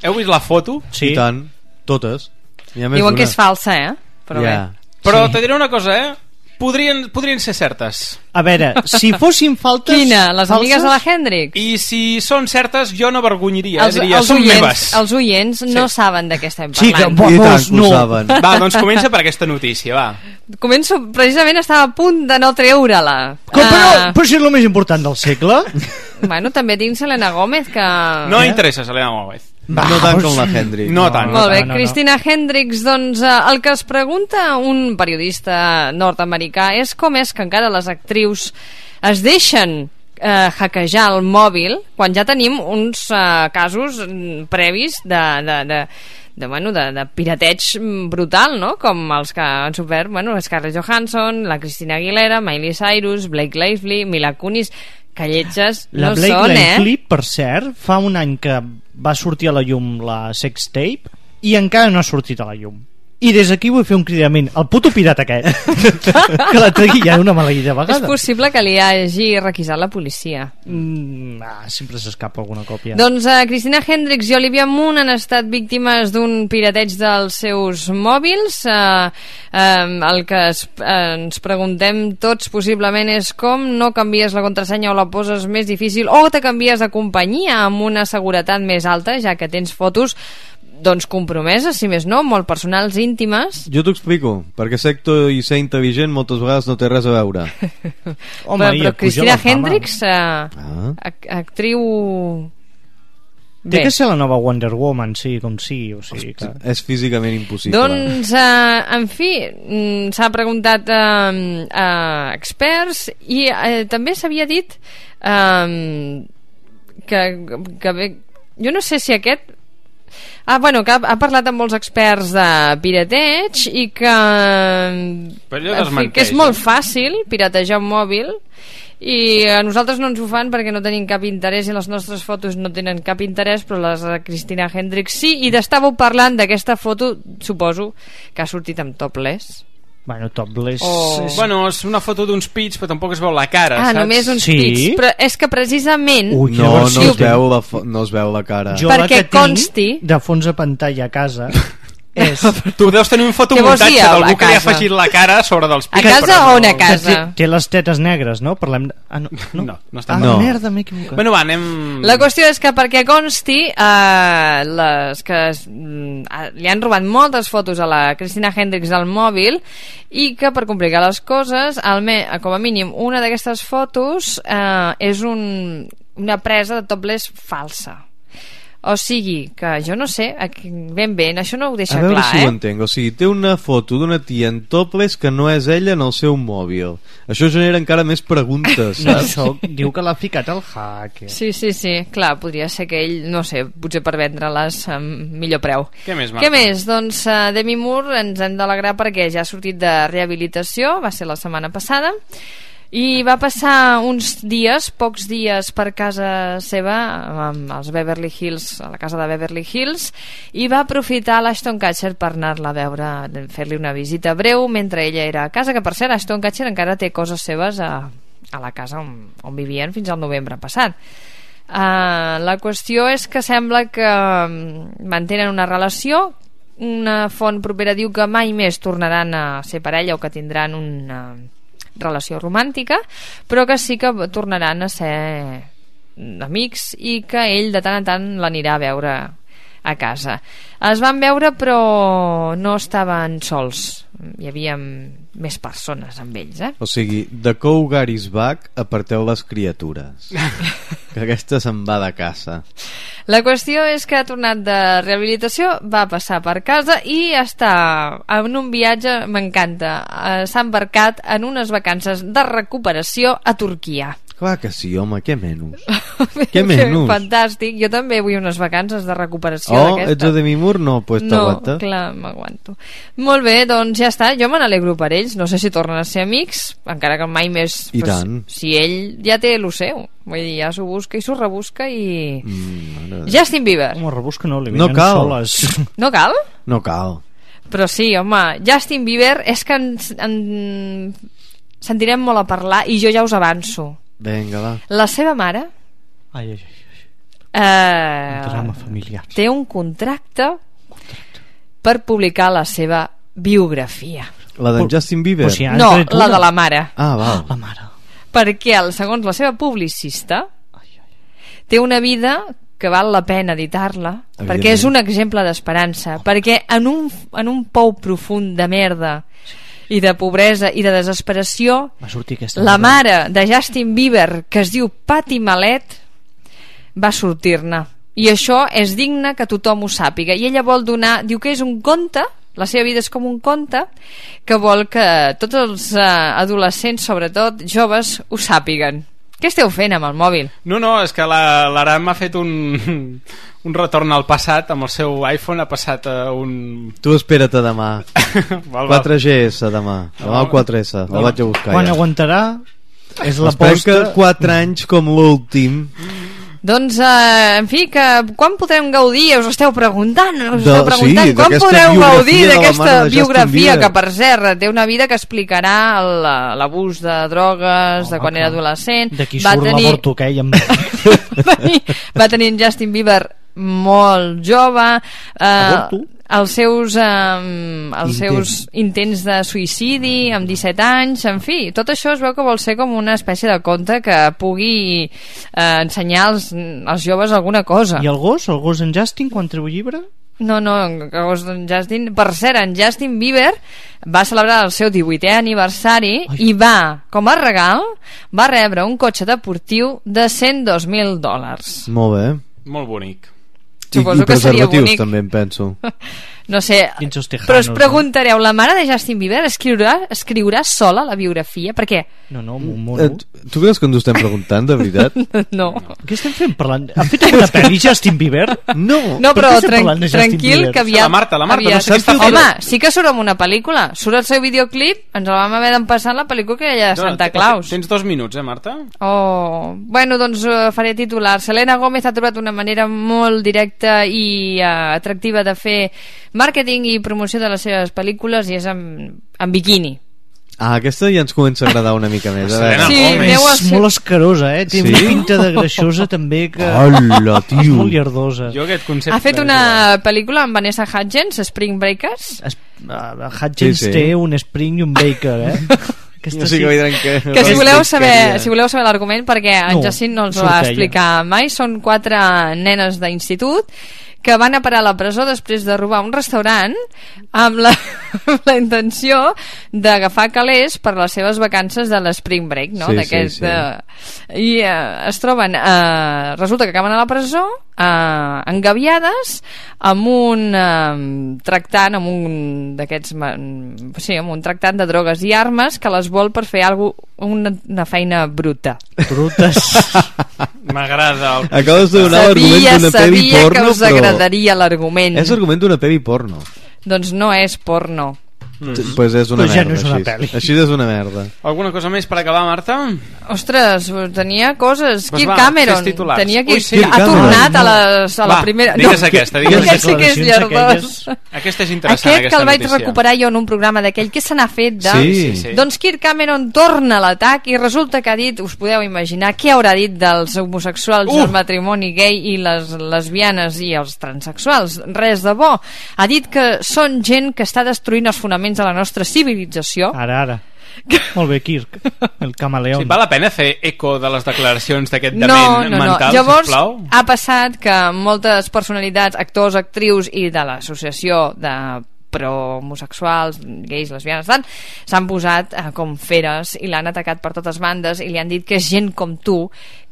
Heu vist la foto? Sí. I tant, totes. Diuen que és falsa, Però bé. Però te diré una cosa, Podrien ser certes. A veure, si fossin faltes... Quina? Les amigues de la Hendrix? I si són certes, jo no vergonyaria. Diria, són meves. Els oients no saben de què estem parlant. Sí, i tant que ho saben. Va, doncs comença per aquesta notícia, va. Començo, precisament estava a punt de no treure-la. Però si és el més important del segle. Bueno, també tinc Selena Gómez, que... No interessa Selena Gómez. No tant com la Hendrix. No tant. Molt bé, Cristina Hendrix, doncs el que es pregunta un periodista nord-americà és com és que encara les actrius es deixen hackejar el mòbil quan ja tenim uns casos previs de pirateig brutal, no? Com els que han sofert, Scarlett Johansson, la Christina Aguilera, Miley Cyrus, Blake Lively, Mila Kunis, que lletges no són, La Blake Lively, per cert, fa un any que va sortir a la llum la sextape i encara no ha sortit a la llum. I des d'aquí vull fer un cridament al puto pirata aquest que la tregui ja una maleïda vegada. És possible que li hagi requisat la policia. Sempre s'escapa alguna còpia. Doncs Cristina Hendricks i Olivia Munn han estat víctimes d'un pirateig dels seus mòbils. El que ens preguntem tots possiblement és com no canvies la contrasenya o la poses més difícil o te canvies de companyia amb una seguretat més alta, ja que tens fotos doncs compromeses, si més no, molt personals, íntimes. Jo t'ho explico, perquè sector i ser intel·ligent moltes vegades no té res a veure. Home, però Cristina Hendricks, actriu... Té que ser la nova Wonder Woman, sí, com sí, o sigui que... És físicament impossible. Doncs, en fi, s'ha preguntat a experts i també s'havia dit que jo no sé si aquest... que ha parlat amb molts experts de pirateig i que, que és molt fàcil piratejar un mòbil i a nosaltres no ens ho fan perquè no tenim cap interès i les nostres fotos no tenen cap interès, però les de Cristina Hendricks sí, i estàveu parlant d'aquesta foto, suposo que ha sortit amb topless. Bueno, topless... Bueno, és una foto d'uns pits, però tampoc es veu la cara, saps? Només uns pits. Però és que precisament... No es veu la cara. Jo perquè consti... de fons de pantalla a casa... Tu deus tenir un fotomuntatge d'algú que li ha afegit la cara sobre dels pits. A casa o a casa? Té les tetes negres, no? Parlem... No està. Merda, m'he equivocat. Bueno, va, anem... La qüestió és que perquè consti les que li han robat moltes fotos a la Cristina Hendricks del mòbil i que per complicar les coses com a mínim una d'aquestes fotos és una presa de topless falsa. O sigui, que jo no sé ben bé, això no ho deixa clar, A veure si ho entenc, o sigui, té una foto d'una tia en topless que no és ella en el seu mòbil. Això genera encara més preguntes, saps? Això diu que l'ha ficat al hacker. Sí, clar, podria ser que ell, no sé, potser per vendre-les amb millor preu. Què més, Marta? Què més? Doncs Demi Moore ens hem d'alegrar perquè ja ha sortit de rehabilitació, va ser la setmana passada, i va passar pocs dies per casa seva als Beverly Hills, a la casa de Beverly Hills, i va aprofitar l'Ashton Kutcher per anar-la a veure, fer-li una visita breu mentre ella era a casa, que per cert Ashton Kutcher encara té coses seves a la casa on vivien fins al novembre passat. La qüestió és que sembla que mantenen una relació. Una font propera diu que mai més tornaran a ser parella o que tindran una relació romàntica, però que sí que tornaran a ser amics i que ell de tant en tant l'anirà a veure a casa. Es van veure però no estaven sols, hi havia més persones amb ells, O sigui, de Cougar is back, aparteu les criatures que aquesta se'n va de casa. La qüestió és que ha tornat de rehabilitació, va passar per casa i està en un viatge, m'encanta, s'ha embarcat en unes vacances de recuperació a Turquia. Clar que sí, home, què menys? Què menys? Fantàstic, jo també vull unes vacances de recuperació d'aquesta. Ets a Demi Moore? No, pues t'aguanta. No, clar, m'aguanto. Molt bé, doncs ja està, jo me n'alegro per ells, no sé si tornen a ser amics, encara que mai més... I tant. Si ell ja té el seu, vull dir, ja s'ho busca i s'ho rebusca i... Justin Bieber. Home, rebusca no, li venen soles. No cal? No cal. Però sí, home, Justin Bieber és que en sentirem molt a parlar i jo ja us avanço. Vinga, va. La seva mare un drama familiar. Té un contracte per publicar la seva biografia. La d'en Justin Bieber? No, la de la mare. Ah, val. La mare. Perquè, segons la seva publicista, té una vida que val la pena editar-la, perquè és un exemple d'esperança, perquè en un pou profund de merda i de pobresa i de desesperació, la mare de Justin Bieber, que es diu Patti Malet, va sortir-ne. I això és digne que tothom ho sàpiga. I ella vol donar, diu que és un conte, la seva vida és com un conte, que vol que tots els adolescents, sobretot joves, ho sàpiguen. Què esteu fent amb el mòbil? No, és que l'Aram m'ha fet un retorn al passat amb el seu iPhone, ha passat a un... Tu espera't a demà. 4GS demà el 4S, el vaig a buscar. Quan aguantarà és la posta... que 4 anys com l'últim. Doncs, en fi, que quan podrem gaudir? Us esteu preguntant, sí, quan podreu gaudir d'aquesta biografia, que per cert, té una vida que explicarà l'abús de drogues, de quan era adolescent. D'aquí surt l'avorto, va tenir en Justin Bieber molt jove, els seus intents de suïcidi amb 17 anys, en fi, tot això es veu que vol ser com una espècie de conte que pugui ensenyar als joves alguna cosa. I el gos en Justin, quan treu llibre? No, el gos d'en Justin... Per cert, en Justin Bieber va celebrar el seu 18è aniversari i com a regal, va rebre un cotxe deportiu de $102.000. Molt bé. Molt bonic. Suposo que seria bonic. També em penso. No sé, però us preguntareu, la mare de Justin Bieber escriurà sola la biografia? Per què? No. Tu creus que ens ho estem preguntant, de veritat? No. Què estem fent parlant? Ha fet alguna pel·li Justin Bieber? No, però tranquil, que aviat... La Marta, no sé què està fent. Home, sí que surt en una pel·lícula. Surt el seu videoclip, ens el vam haver d'empassar en la pel·lícula que hi ha de Santa Claus. Tens 2 minuts, Marta? Bueno, doncs faré titular. Selena Gomez ha trobat una manera molt directa i atractiva de fer màrqueting i promoció de les seves pel·lícules i és en biquini. Aquesta ja ens comença a agradar una mica més. Sí, és molt escarosa, Té una pinta de greixosa també que... Hola, tio. És molt llardosa. Ha fet una pel·lícula amb Vanessa Hudgens, Spring Breakers. Hudgens té un Spring i un Baker, que si voleu saber l'argument, perquè en Jacint no els ho va explicar mai, són 4 nenes d'institut que van a parar a la presó després de robar un restaurant amb la intenció d'agafar calés per les seves vacances de l'Spring Break, no? I es troben, resulta que acaben a la presó engaviades amb un tractant, amb un tractant de drogues i armes que les vol per fer una feina bruta. Brutes. M'agrada. Acabes de donar l'argument d'una pel·li porno, sabia que us agradaria l'argument. És l'argument d'una pel·li porno. Doncs no és porno. Pues és una merda, no és una pel·li. Així és una merda. Alguna cosa més per acabar, Marta? Ostres, tenia coses. Kirk Cameron tenia que... ha tornat a la primera... Digues aquesta. Aquest sí que és llardós. Aquesta és interessant, aquest que el vaig recuperar jo en un programa d'aquell que se n'ha fet de... Sí. Doncs Kirk Cameron torna a l'atac i resulta que ha dit, us podeu imaginar què haurà dit dels homosexuals, el matrimoni gay i les lesbianes i els transexuals. Res de bo. Ha dit que són gent que està destruint els fonaments de la nostra civilització. Ara. Molt bé, Kirk, el camaleón. Sí, val la pena fer eco de les declaracions d'aquest dement mental, llavors, sisplau? Ha passat que moltes personalitats, actors, actrius i de l'associació de pro-homosexuals, gais, lesbianes, tant, s'han posat com feres i l'han atacat per totes bandes i li han dit que és gent com tu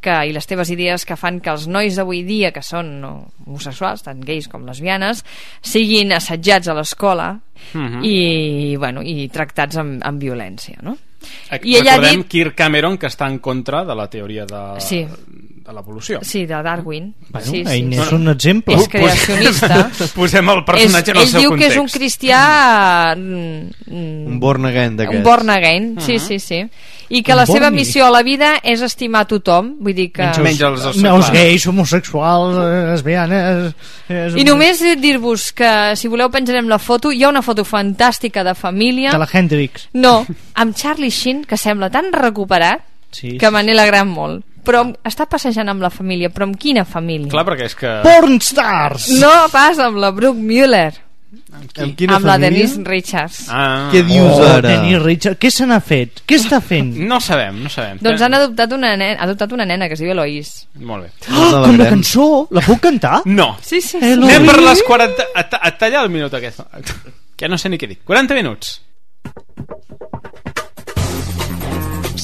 i les teves idees que fan que els nois d'avui dia que són homosexuals, tant gais com lesbianes, siguin assetjats a l'escola i tractats amb violència, no? I recordem Kirk Cameron, que està en contra de la teoria de l'evolució. Sí, de Darwin. Ell n'és un exemple. És creacionista. Posem el personatge en el seu context. Ell diu que és un cristià... un born again d'aquests. Un born again, sí. I que la seva missió a la vida és estimar tothom. Vull dir que... Menys els gais, homosexuals, lesbianes... I només dir-vos que, si voleu, penjarem la foto. Hi ha una foto fantàstica de família. De la Hendrix. No, amb Charlie Sheen, que sembla tan recuperat que me n'he alegrat molt. Però està passejant amb la família. Però amb quina família? Clar, perquè és que... Pornstars! No pas amb la Brooke Muller. Amb la Denise Richards. Què dius ara? Denise Richards, què se n'ha fet? Què està fent? No sabem. Doncs han adoptat una nena que es diu Eloise. Molt bé. Com la cançó? La puc cantar? No. Sí. Anem per les 40... A tallar el minut aquest. Que no sé ni què dic. 40 minuts.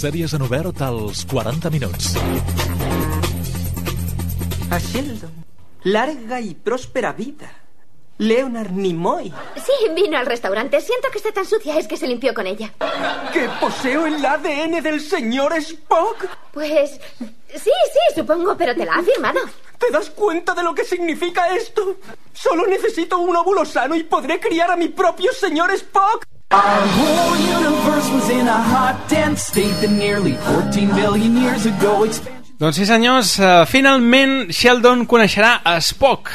Sèries en obert als 40 minuts. A Sheldon, larga y próspera vida. Leonard Nimoy. Sí, vino al restaurante. Siento que esté tan sucia, es que se limpió con ella. ¿Que poseo el ADN del señor Spock? Pues... sí, supongo, pero te la ha firmado. ¿Te das cuenta de lo que significa esto? Solo necesito un óvulo sano y podré criar a mi propio señor Spock. Our whole universe was in a hot, dense state that nearly 14 billion years ago expanded. Doncs sí, senyors, finalment Sheldon coneixerà a Spock.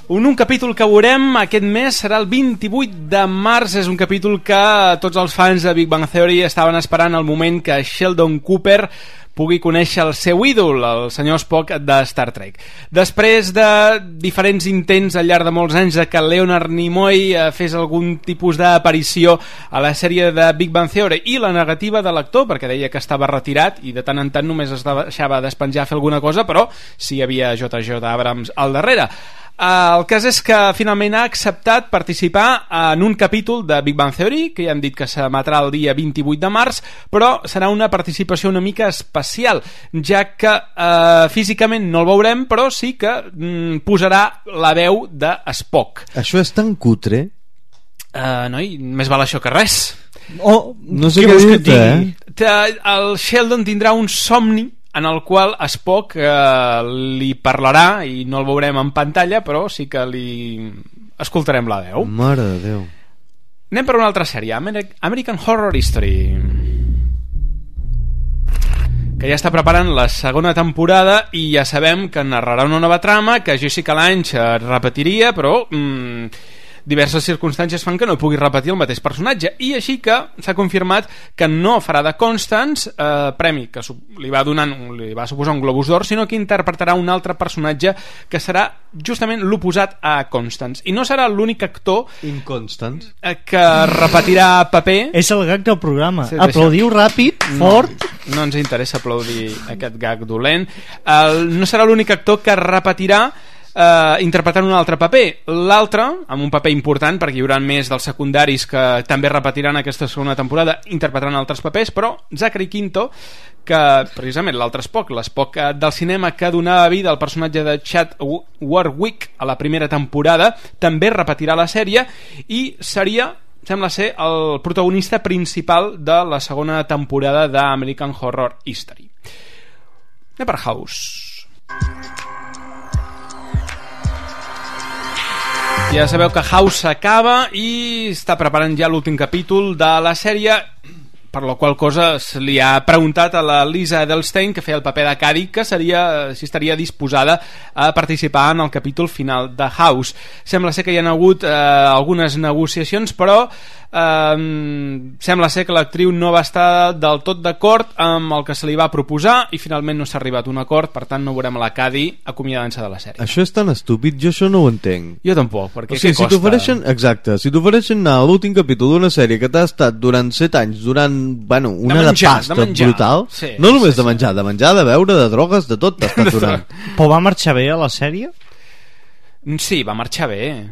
Un capítol que veurem aquest mes serà el 28 de març. És un capítol que tots els fans de Big Bang Theory estaven esperant el moment que Sheldon Cooper pugui conèixer el seu ídol, el senyor Spock de Star Trek. Després de diferents intents al llarg de molts anys de que Leonard Nimoy fes algun tipus d'aparició a la sèrie de Big Bang Theory i la negativa de l'actor, perquè deia que estava retirat i de tant en tant només es deixava despenjar a fer alguna cosa, però sí hi havia J.J. Abrams al darrere. El cas és que finalment ha acceptat participar en un capítol de Big Bang Theory, que ja hem dit que s'emetrà el dia 28 de març, però serà una participació una mica especial, ja que físicament no el veurem, però sí que posarà la veu de Spock. Això és tan cutre? Noi, més val això que res. No sé què dir-te, El Sheldon tindrà un somni en el qual Spock li parlarà i no el veurem en pantalla, però sí que li escoltarem la veu. Mare de Déu. Anem per una altra sèrie, American Horror History, que ja està preparant la segona temporada i ja sabem que narrarà una nova trama, que Jessica Lange repetiria, però diverses circumstàncies fan que no pugui repetir el mateix personatge, i així que s'ha confirmat que no farà de Constance, premi que li va suposar un Globus d'Or, sinó que interpretarà un altre personatge que serà justament l'oposat a Constance, i no serà l'únic actor Inconstance que repetirà paper. És el gag del programa. Sí, aplaudiu ràpid, fort. No ens interessa aplaudir aquest gag dolent. No serà l'únic actor que repetirà interpretant un altre paper. L'altre, amb un paper important, perquè hi haurà més dels secundaris que també repetiran aquesta segona temporada, interpretaran altres papers, però Zachary Quinto, que precisament l'altre Spock, l'Spock del cinema que donava vida al personatge de Chad Warwick a la primera temporada, també repetirà la sèrie i sembla ser el protagonista principal de la segona temporada d'American Horror History. Anem per House. Ja sabeu que House s'acaba i està preparant ja l'últim capítol de la sèrie, per la qual cosa se li ha preguntat a la Lisa Edelstein, que feia el paper de Cady, que si estaria disposada a participar en el capítol final de House. Sembla ser que hi ha hagut algunes negociacions, però sembla ser que l'actriu no va estar del tot d'acord amb el que se li va proposar i finalment no s'ha arribat a un acord, per tant no veurem la Cady acomiadant-se de la sèrie. Això és tan estúpid, jo això no ho entenc. Jo tampoc, perquè què costa? Si t'ofereixen anar a l'últim capítol d'una sèrie que t'ha estat durant 7 anys, durant una de pasta brutal, no només de menjar, de beure, de drogues, de tot t'ha estat durant. Però va marxar bé a la sèrie? Sí, va marxar bé.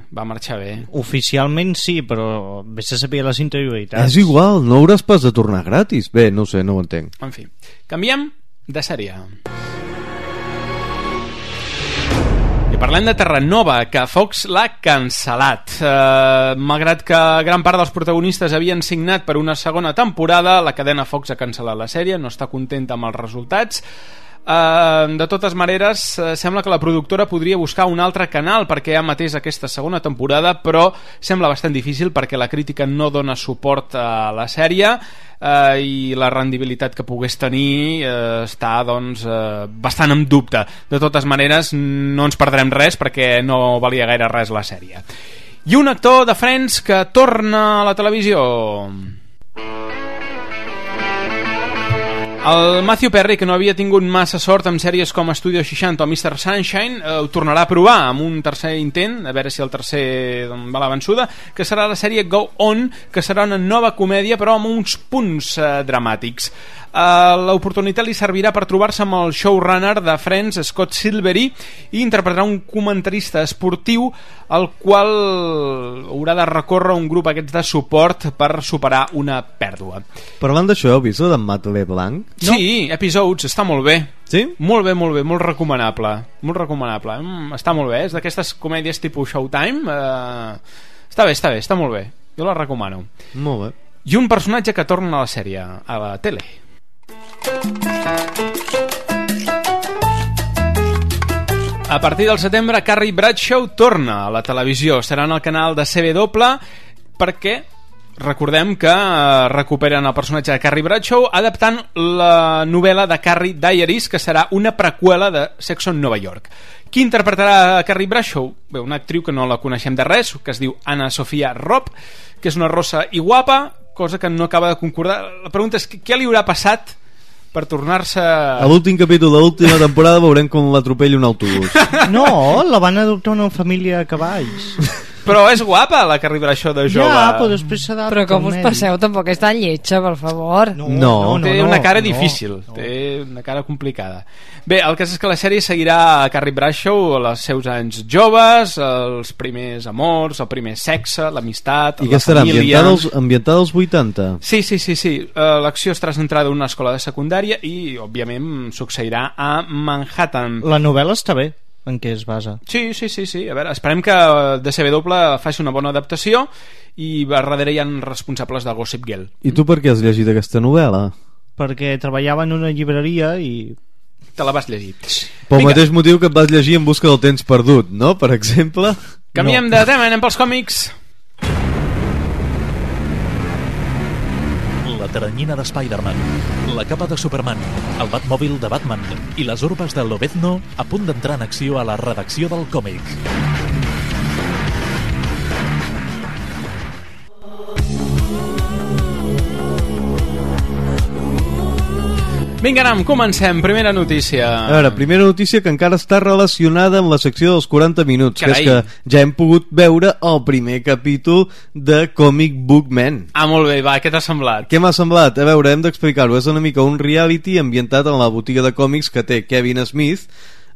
Oficialment sí, però vés a saber les interioritats. És igual, no hauràs pas de tornar gratis. Bé, no ho sé, no ho entenc. En fi, canviem de sèrie. I parlem de Terranova, que Fox l'ha cancel·lat. Malgrat que gran part dels protagonistes havien signat per una segona temporada, la cadena Fox ha cancel·lat la sèrie, no està contenta amb els resultats. De totes maneres, sembla que la productora podria buscar un altre canal perquè emetés aquesta segona temporada, però sembla bastant difícil perquè la crítica no dona suport a la sèrie i la rendibilitat que pogués tenir està bastant en dubte. De totes maneres, no ens perdrem res perquè no valia gaire res la sèrie. I un actor de Friends que torna a la televisió. El Matthew Perry, que no havia tingut massa sort amb sèries com Studio 60 o Mr. Sunshine, ho tornarà a provar amb un tercer intent, a veure si el tercer va la vençuda, que serà la sèrie Go On, que serà una nova comèdia però amb uns punts dramàtics. L'oportunitat li servirà per trobar-se amb el showrunner de Friends, Scott Silvery, i interpretarà un comentarista esportiu al qual haurà de recórrer un grup aquests de suport per superar una pèrdua. Parlant d'això, heu vist d'en Matt LeBlanc? No? Sí, Episodes, està molt bé. Sí? Molt bé, molt recomanable. Està molt bé, és d'aquestes comèdies tipus Showtime. Està molt bé. Jo la recomano. Molt bé. I un personatge que torna a la sèrie, a la tele. A partir del setembre, Carrie Bradshaw torna a la televisió. Serà en el canal de CW perquè recordem que recuperen el personatge de Carrie Bradshaw adaptant la novel·la de Carrie Diaries, que serà una preqüela de Sexo en Nova York. Qui interpretarà Carrie Bradshaw? Bé, una actriu que no la coneixem de res, que es diu Anna Sofia Robb, que és una rossa i guapa, cosa que no acaba de concordar. La pregunta és què li haurà passat per tornar-se... A l'últim capítol de l'última temporada veurem com l'atropella un autobús. No, la van adoptar una família a cavalls. Però és guapa la Carrie Bradshaw de jove. Ja, però després s'ha Però com us passeu, tampoc és tan lletja, per favor. Té una cara difícil, té una cara complicada. Bé, el cas és que la sèrie seguirà a Carrie Bradshaw els seus anys joves, els primers amors, el primer sexe, l'amistat, I la que estarà família... ambientada als 80? Sí. L'acció estarà centrada en una escola de secundària i, òbviament, succeirà a Manhattan. La novel·la està bé, en què es basa. Sí. A veure, esperem que DCW faci una bona adaptació i a darrere hi ha responsables de Gossip Girl. I tu per què has llegit aquesta novel·la? Perquè treballava en una llibreria i... Te la vas llegir. Pel mateix motiu que et vas llegir En busca del temps perdut, no? Per exemple. Canviem de tema, anem pels còmics. La teranyina de Spider-Man, la capa de Superman, el Batmòbil de Batman i les urbes de Lobezno a punt d'entrar en acció a la redacció del còmic. Vinga, Aram, comencem. Primera notícia. A veure, primera notícia que encara està relacionada amb la secció dels 40 minuts. Carai. Que és que ja hem pogut veure el primer capítol de Comic Book Man. Ah, molt bé, va, què t'ha semblat? Què m'ha semblat? A veure, hem d'explicar-ho. És una mica un reality ambientat en la botiga de còmics que té Kevin Smith,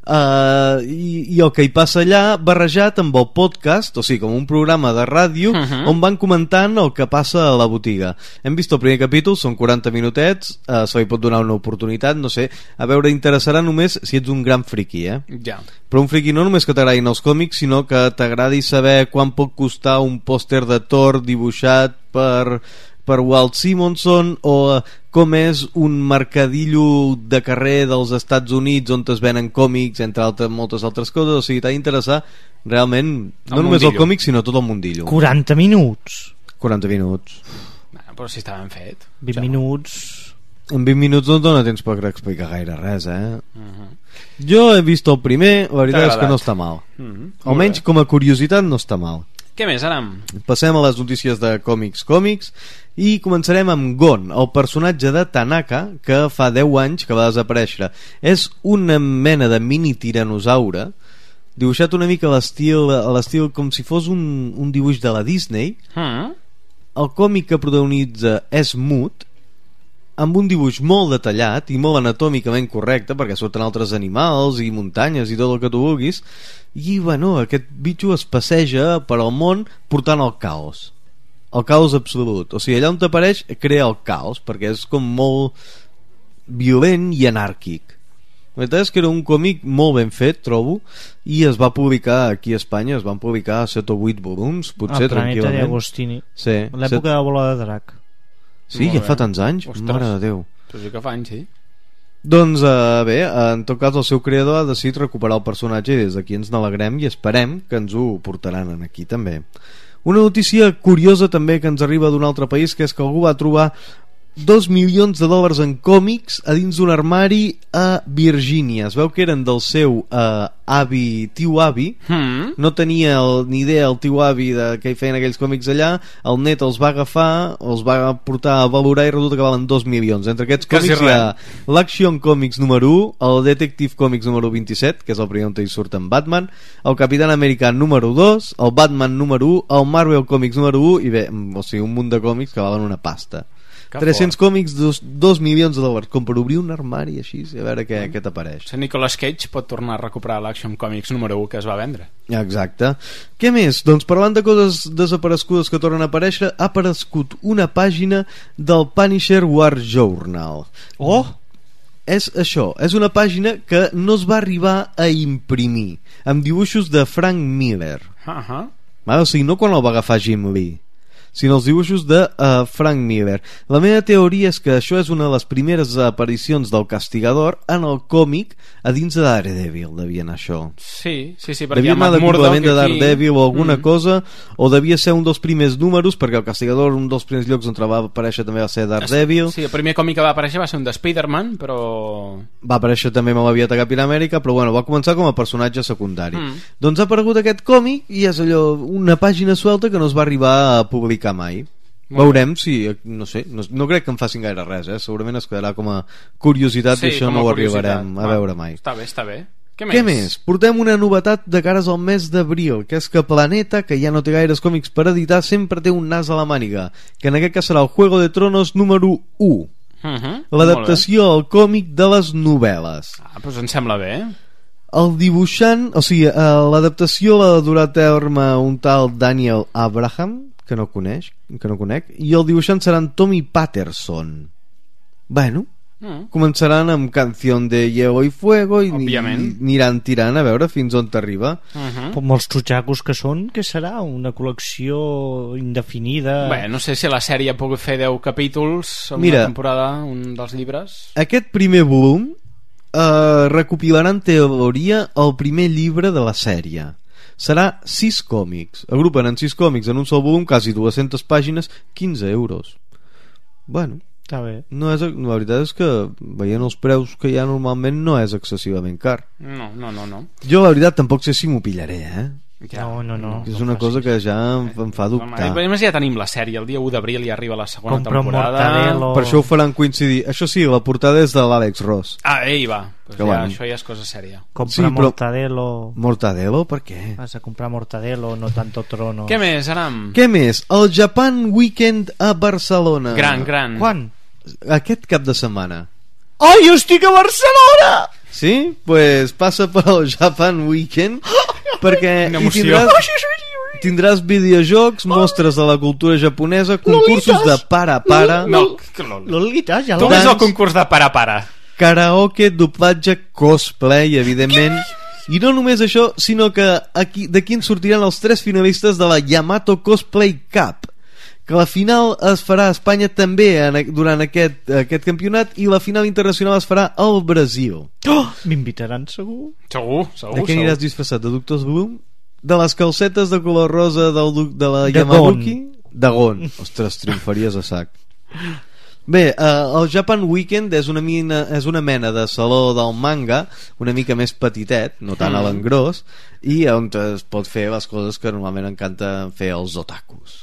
i el que hi passa allà barrejat amb el podcast, o sigui, com un programa de ràdio on van comentant el que passa a la botiga. Hem vist el primer capítol, són 40 minutets, se li pot donar una oportunitat, no sé, a veure, interessarà només si ets un gran friqui, Ja. Però un friqui no només que t'agradin els còmics, sinó que t'agradi saber quan pot costar un pòster de Thor dibuixat per Walt Simonson, o com és un mercadillo de carrer dels Estats Units on es venen còmics, entre moltes altres coses. O sigui, t'ha d'interessar realment no només el còmic, sinó tot el mundillo. 40 minuts. 40 minuts. Però si està ben fet. 20 minuts. En 20 minuts no et dona temps per explicar gaire res, Jo he vist el primer, la veritat és que no està mal. Almenys com a curiositat no està mal. Què més, Aram? Passem a les notícies de còmics i començarem amb Gon, el personatge de Tanaka que fa 10 anys que va desaparèixer. És una mena de mini tiranosaure dibuixat una mica a l'estil com si fos un dibuix de la Disney. El còmic que protagonitza és mut, amb un dibuix molt detallat i molt anatòmicament correcte, perquè surten altres animals i muntanyes i tot el que tu vulguis, i bueno, aquest bitxo es passeja per al món portant el caos absolut. O sigui, allà on t'apareix crea el caos, perquè és com molt violent i anàrquic. La veritat és que era un còmic molt ben fet, trobo, i es va publicar aquí a Espanya, es van publicar 7 o 8 volums, potser, tranquil·lament. Planeta de Agostini, sí, l'època de la bola de drac. Sí, ja fa tants anys. Ostres. Mare de Déu. Però sí que fa anys, sí. Doncs bé, en tot cas el seu creador ha decidit recuperar el personatge i des d'aquí ens n'alegrem i esperem que ens ho portaran aquí també. Una notícia curiosa també que ens arriba d'un altre país, que és que algú va trobar $2 milions en còmics a dins d'un armari a Virgínia. Es veu que eren del seu tio avi. No tenia ni idea el tio avi de què hi feien aquells còmics allà. El net els va agafar, els va portar a valorar i resulta que valen 2 milions. Entre aquests còmics hi ha l'Action Comics número 1, el Detective Comics número 27, que és el primer on hi surt en Batman, el Capitán Americà número 2, el Batman número 1, el Marvel Comics número 1 i bé, o sigui, un munt de còmics que valen una pasta. 300 còmics, 2 milions com per obrir un armari així, a veure què t'apareix. Nicolas Cage pot tornar a recuperar l'Action Comics número 1 que es va vendre. Exacte. Què més? Doncs parlant de coses desaparegudes que tornen a aparèixer, ha aparegut una pàgina del Punisher War Journal. És això, és una pàgina que no es va arribar a imprimir, amb dibuixos de Frank Miller. O sigui, no quan el va agafar Jim Lee, sinó els dibuixos de Frank Miller. La meva teoria és que això és una de les primeres aparicions del Castigador en el còmic a dins de Daredevil, devia anar això. Sí, perquè devia anar de complement de Daredevil o alguna cosa, o devia ser un dels primers números, perquè el Castigador, un dels primers llocs on va aparèixer també va ser Daredevil. Sí, el primer còmic que va aparèixer va ser un de Spider-Man, però... va aparèixer també molt aviat a Capità Amèrica, però bueno, va començar com a personatge secundari. Doncs ha aparegut aquest còmic i és allò, una pàgina suelta que no es va arribar a publicar mai. Veurem si, no sé, no crec que en facin gaire res, segurament es quedarà com a curiositat, i això no ho arribarem a veure mai. Està bé. Què més? Portem una novetat de cares al mes d'abril, que és que Planeta, que ja no té gaires còmics per editar, sempre té un nas a la màniga, que en aquest cas serà el Juego de Tronos número 1. L'adaptació al còmic de les novel·les. Doncs em sembla bé. El dibuixant, o sigui, l'adaptació l'ha durà a terme un tal Daniel Abraham, que no conec, i el dibuixant serà en Tommy Patterson. Bueno, començaran amb Canción de Hielo y Fuego i aniran tirant a veure fins on t'arriba. Com els txutxacos que són, què serà? Una col·lecció indefinida? Bé, no sé si la sèrie ha pogut fer 10 capítols en una temporada, un dels llibres. Aquest primer volum recopilarà en teoria el primer llibre de la sèrie. Serà 6 còmics. Agrupen en 6 còmics en un sol volum, quasi 200 pàgines, 15 euros. Bueno, està bé. La veritat és que veient els preus que hi ha normalment no és excessivament car. No. Jo la veritat tampoc sé si m'ho pillaré, No. És una cosa que ja em fa dubtar. A més ja tenim la sèrie, el dia 1 d'abril ja arriba la segona temporada. Per això ho faran coincidir. Això sí, la portada és de l'Àlex Ross. Ei, va, això ja és cosa sèria. Compra Mortadelo. Mortadelo? Per què? Vas a comprar Mortadelo, no tanto trono. Què més, Aram? Què més? El Japan Weekend a Barcelona. Gran. Quan? Aquest cap de setmana. Jo estic a Barcelona! Sí? Pues passa per al Japan Weekend perquè tindràs videojocs, mostres de la cultura japonesa, concursos de para. Lolitas, ja tu ves el concurs de para. Karaoke, doblatge, cosplay, evidentment. I no només això, sinó que d'aquí en sortiran els 3 finalistes de la Yamato Cosplay Cup, que la final es farà a Espanya també durant aquest campionat, i la final internacional es farà al Brasil. M'invitaran segur? Segur. De què aniràs disfressat? De Doctor Bloom? De les calcetes de color rosa de la Yamabuki? De Gon. Ostres, triomfaries a sac. Bé, el Japan Weekend és una mena de saló del manga, una mica més petitet, no tant a l'engròs, i on es pot fer les coses que normalment encanta fer els otakus.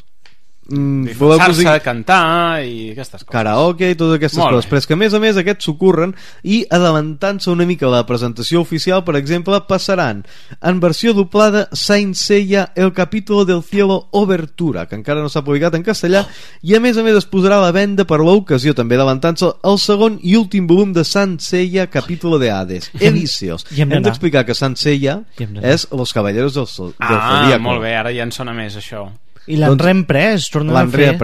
Disfressar-se, cantar i aquestes coses, karaoke i totes aquestes coses, però és que a més aquests s'ocorren, i adelantant-se una mica la presentació oficial, per exemple, passaran en versió doblada Saint Seiya El Capítulo del Cielo Obertura, que encara no s'ha publicat en castellà, i a més es posarà a la venda per l'ocasió, també adelantant-se, el segon i últim volum de Saint Seiya Capítulo de Hades, Elíseos. Hem d'explicar que Saint Seiya és Los Caballeros del Zodíaco. Molt bé, ara ja en sona més això. I l'han reemprès, tornen a fer.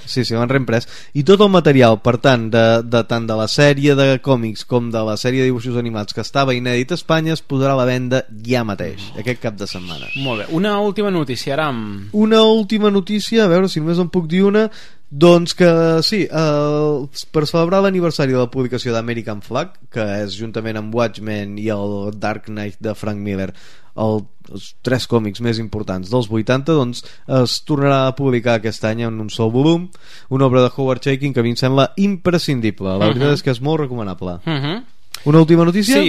Sí, l'han reemprès. I tot el material, per tant, tant de la sèrie de còmics com de la sèrie de dibuixos animats que estava inèdit a Espanya, es posarà a la venda ja mateix, aquest cap de setmana. Molt bé. Una última notícia, Aram. Una última notícia, a veure si només en puc dir una. Doncs que sí, per celebrar l'aniversari de la publicació d'American Flag, que és juntament amb Watchmen i el Dark Knight de Frank Miller els 3 còmics més importants dels 80, doncs es tornarà a publicar aquest any en un sol volum, una obra de Howard Chaykin que a mi em sembla imprescindible. La veritat és que és molt recomanable. Una última notícia?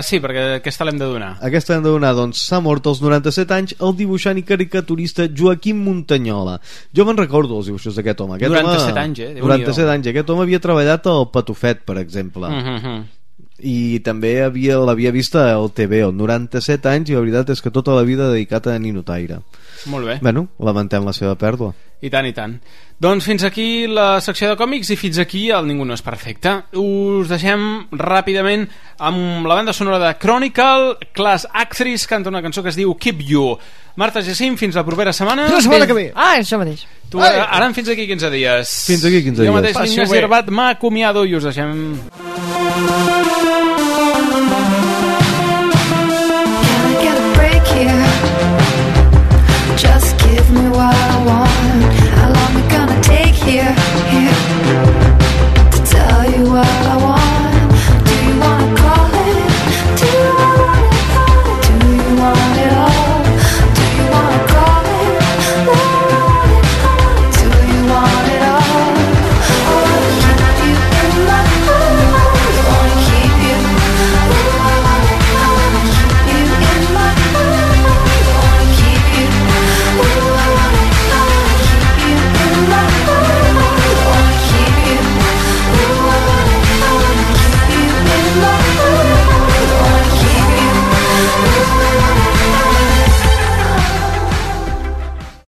Sí, perquè aquesta l'hem de donar. Doncs s'ha mort als 97 anys el dibuixant i caricaturista Joaquim Montañola. Jo me'n recordo els dibuixos d'aquest home. 97 anys, 97 anys. Aquest home havia treballat al Patufet, per exemple. I també l'havia vist al TV, al 97 anys, i la veritat és que tota la vida dedicat a Ninotaire. Molt bé. Bueno, lamentem la seva pèrdua. I tant. Doncs fins aquí la secció de còmics i fins aquí el Ningú no és perfecte. Us deixem ràpidament amb la banda sonora de Chronicle. Class Actress canta una cançó que es diu Keep You. Marta Jacim, fins la propera setmana. La setmana que ve. Això mateix. Tu, ara fins aquí 15 dies. Fins aquí 15 dies. Jo mateix, Ignasi Herbat, m'acomiado i us deixem...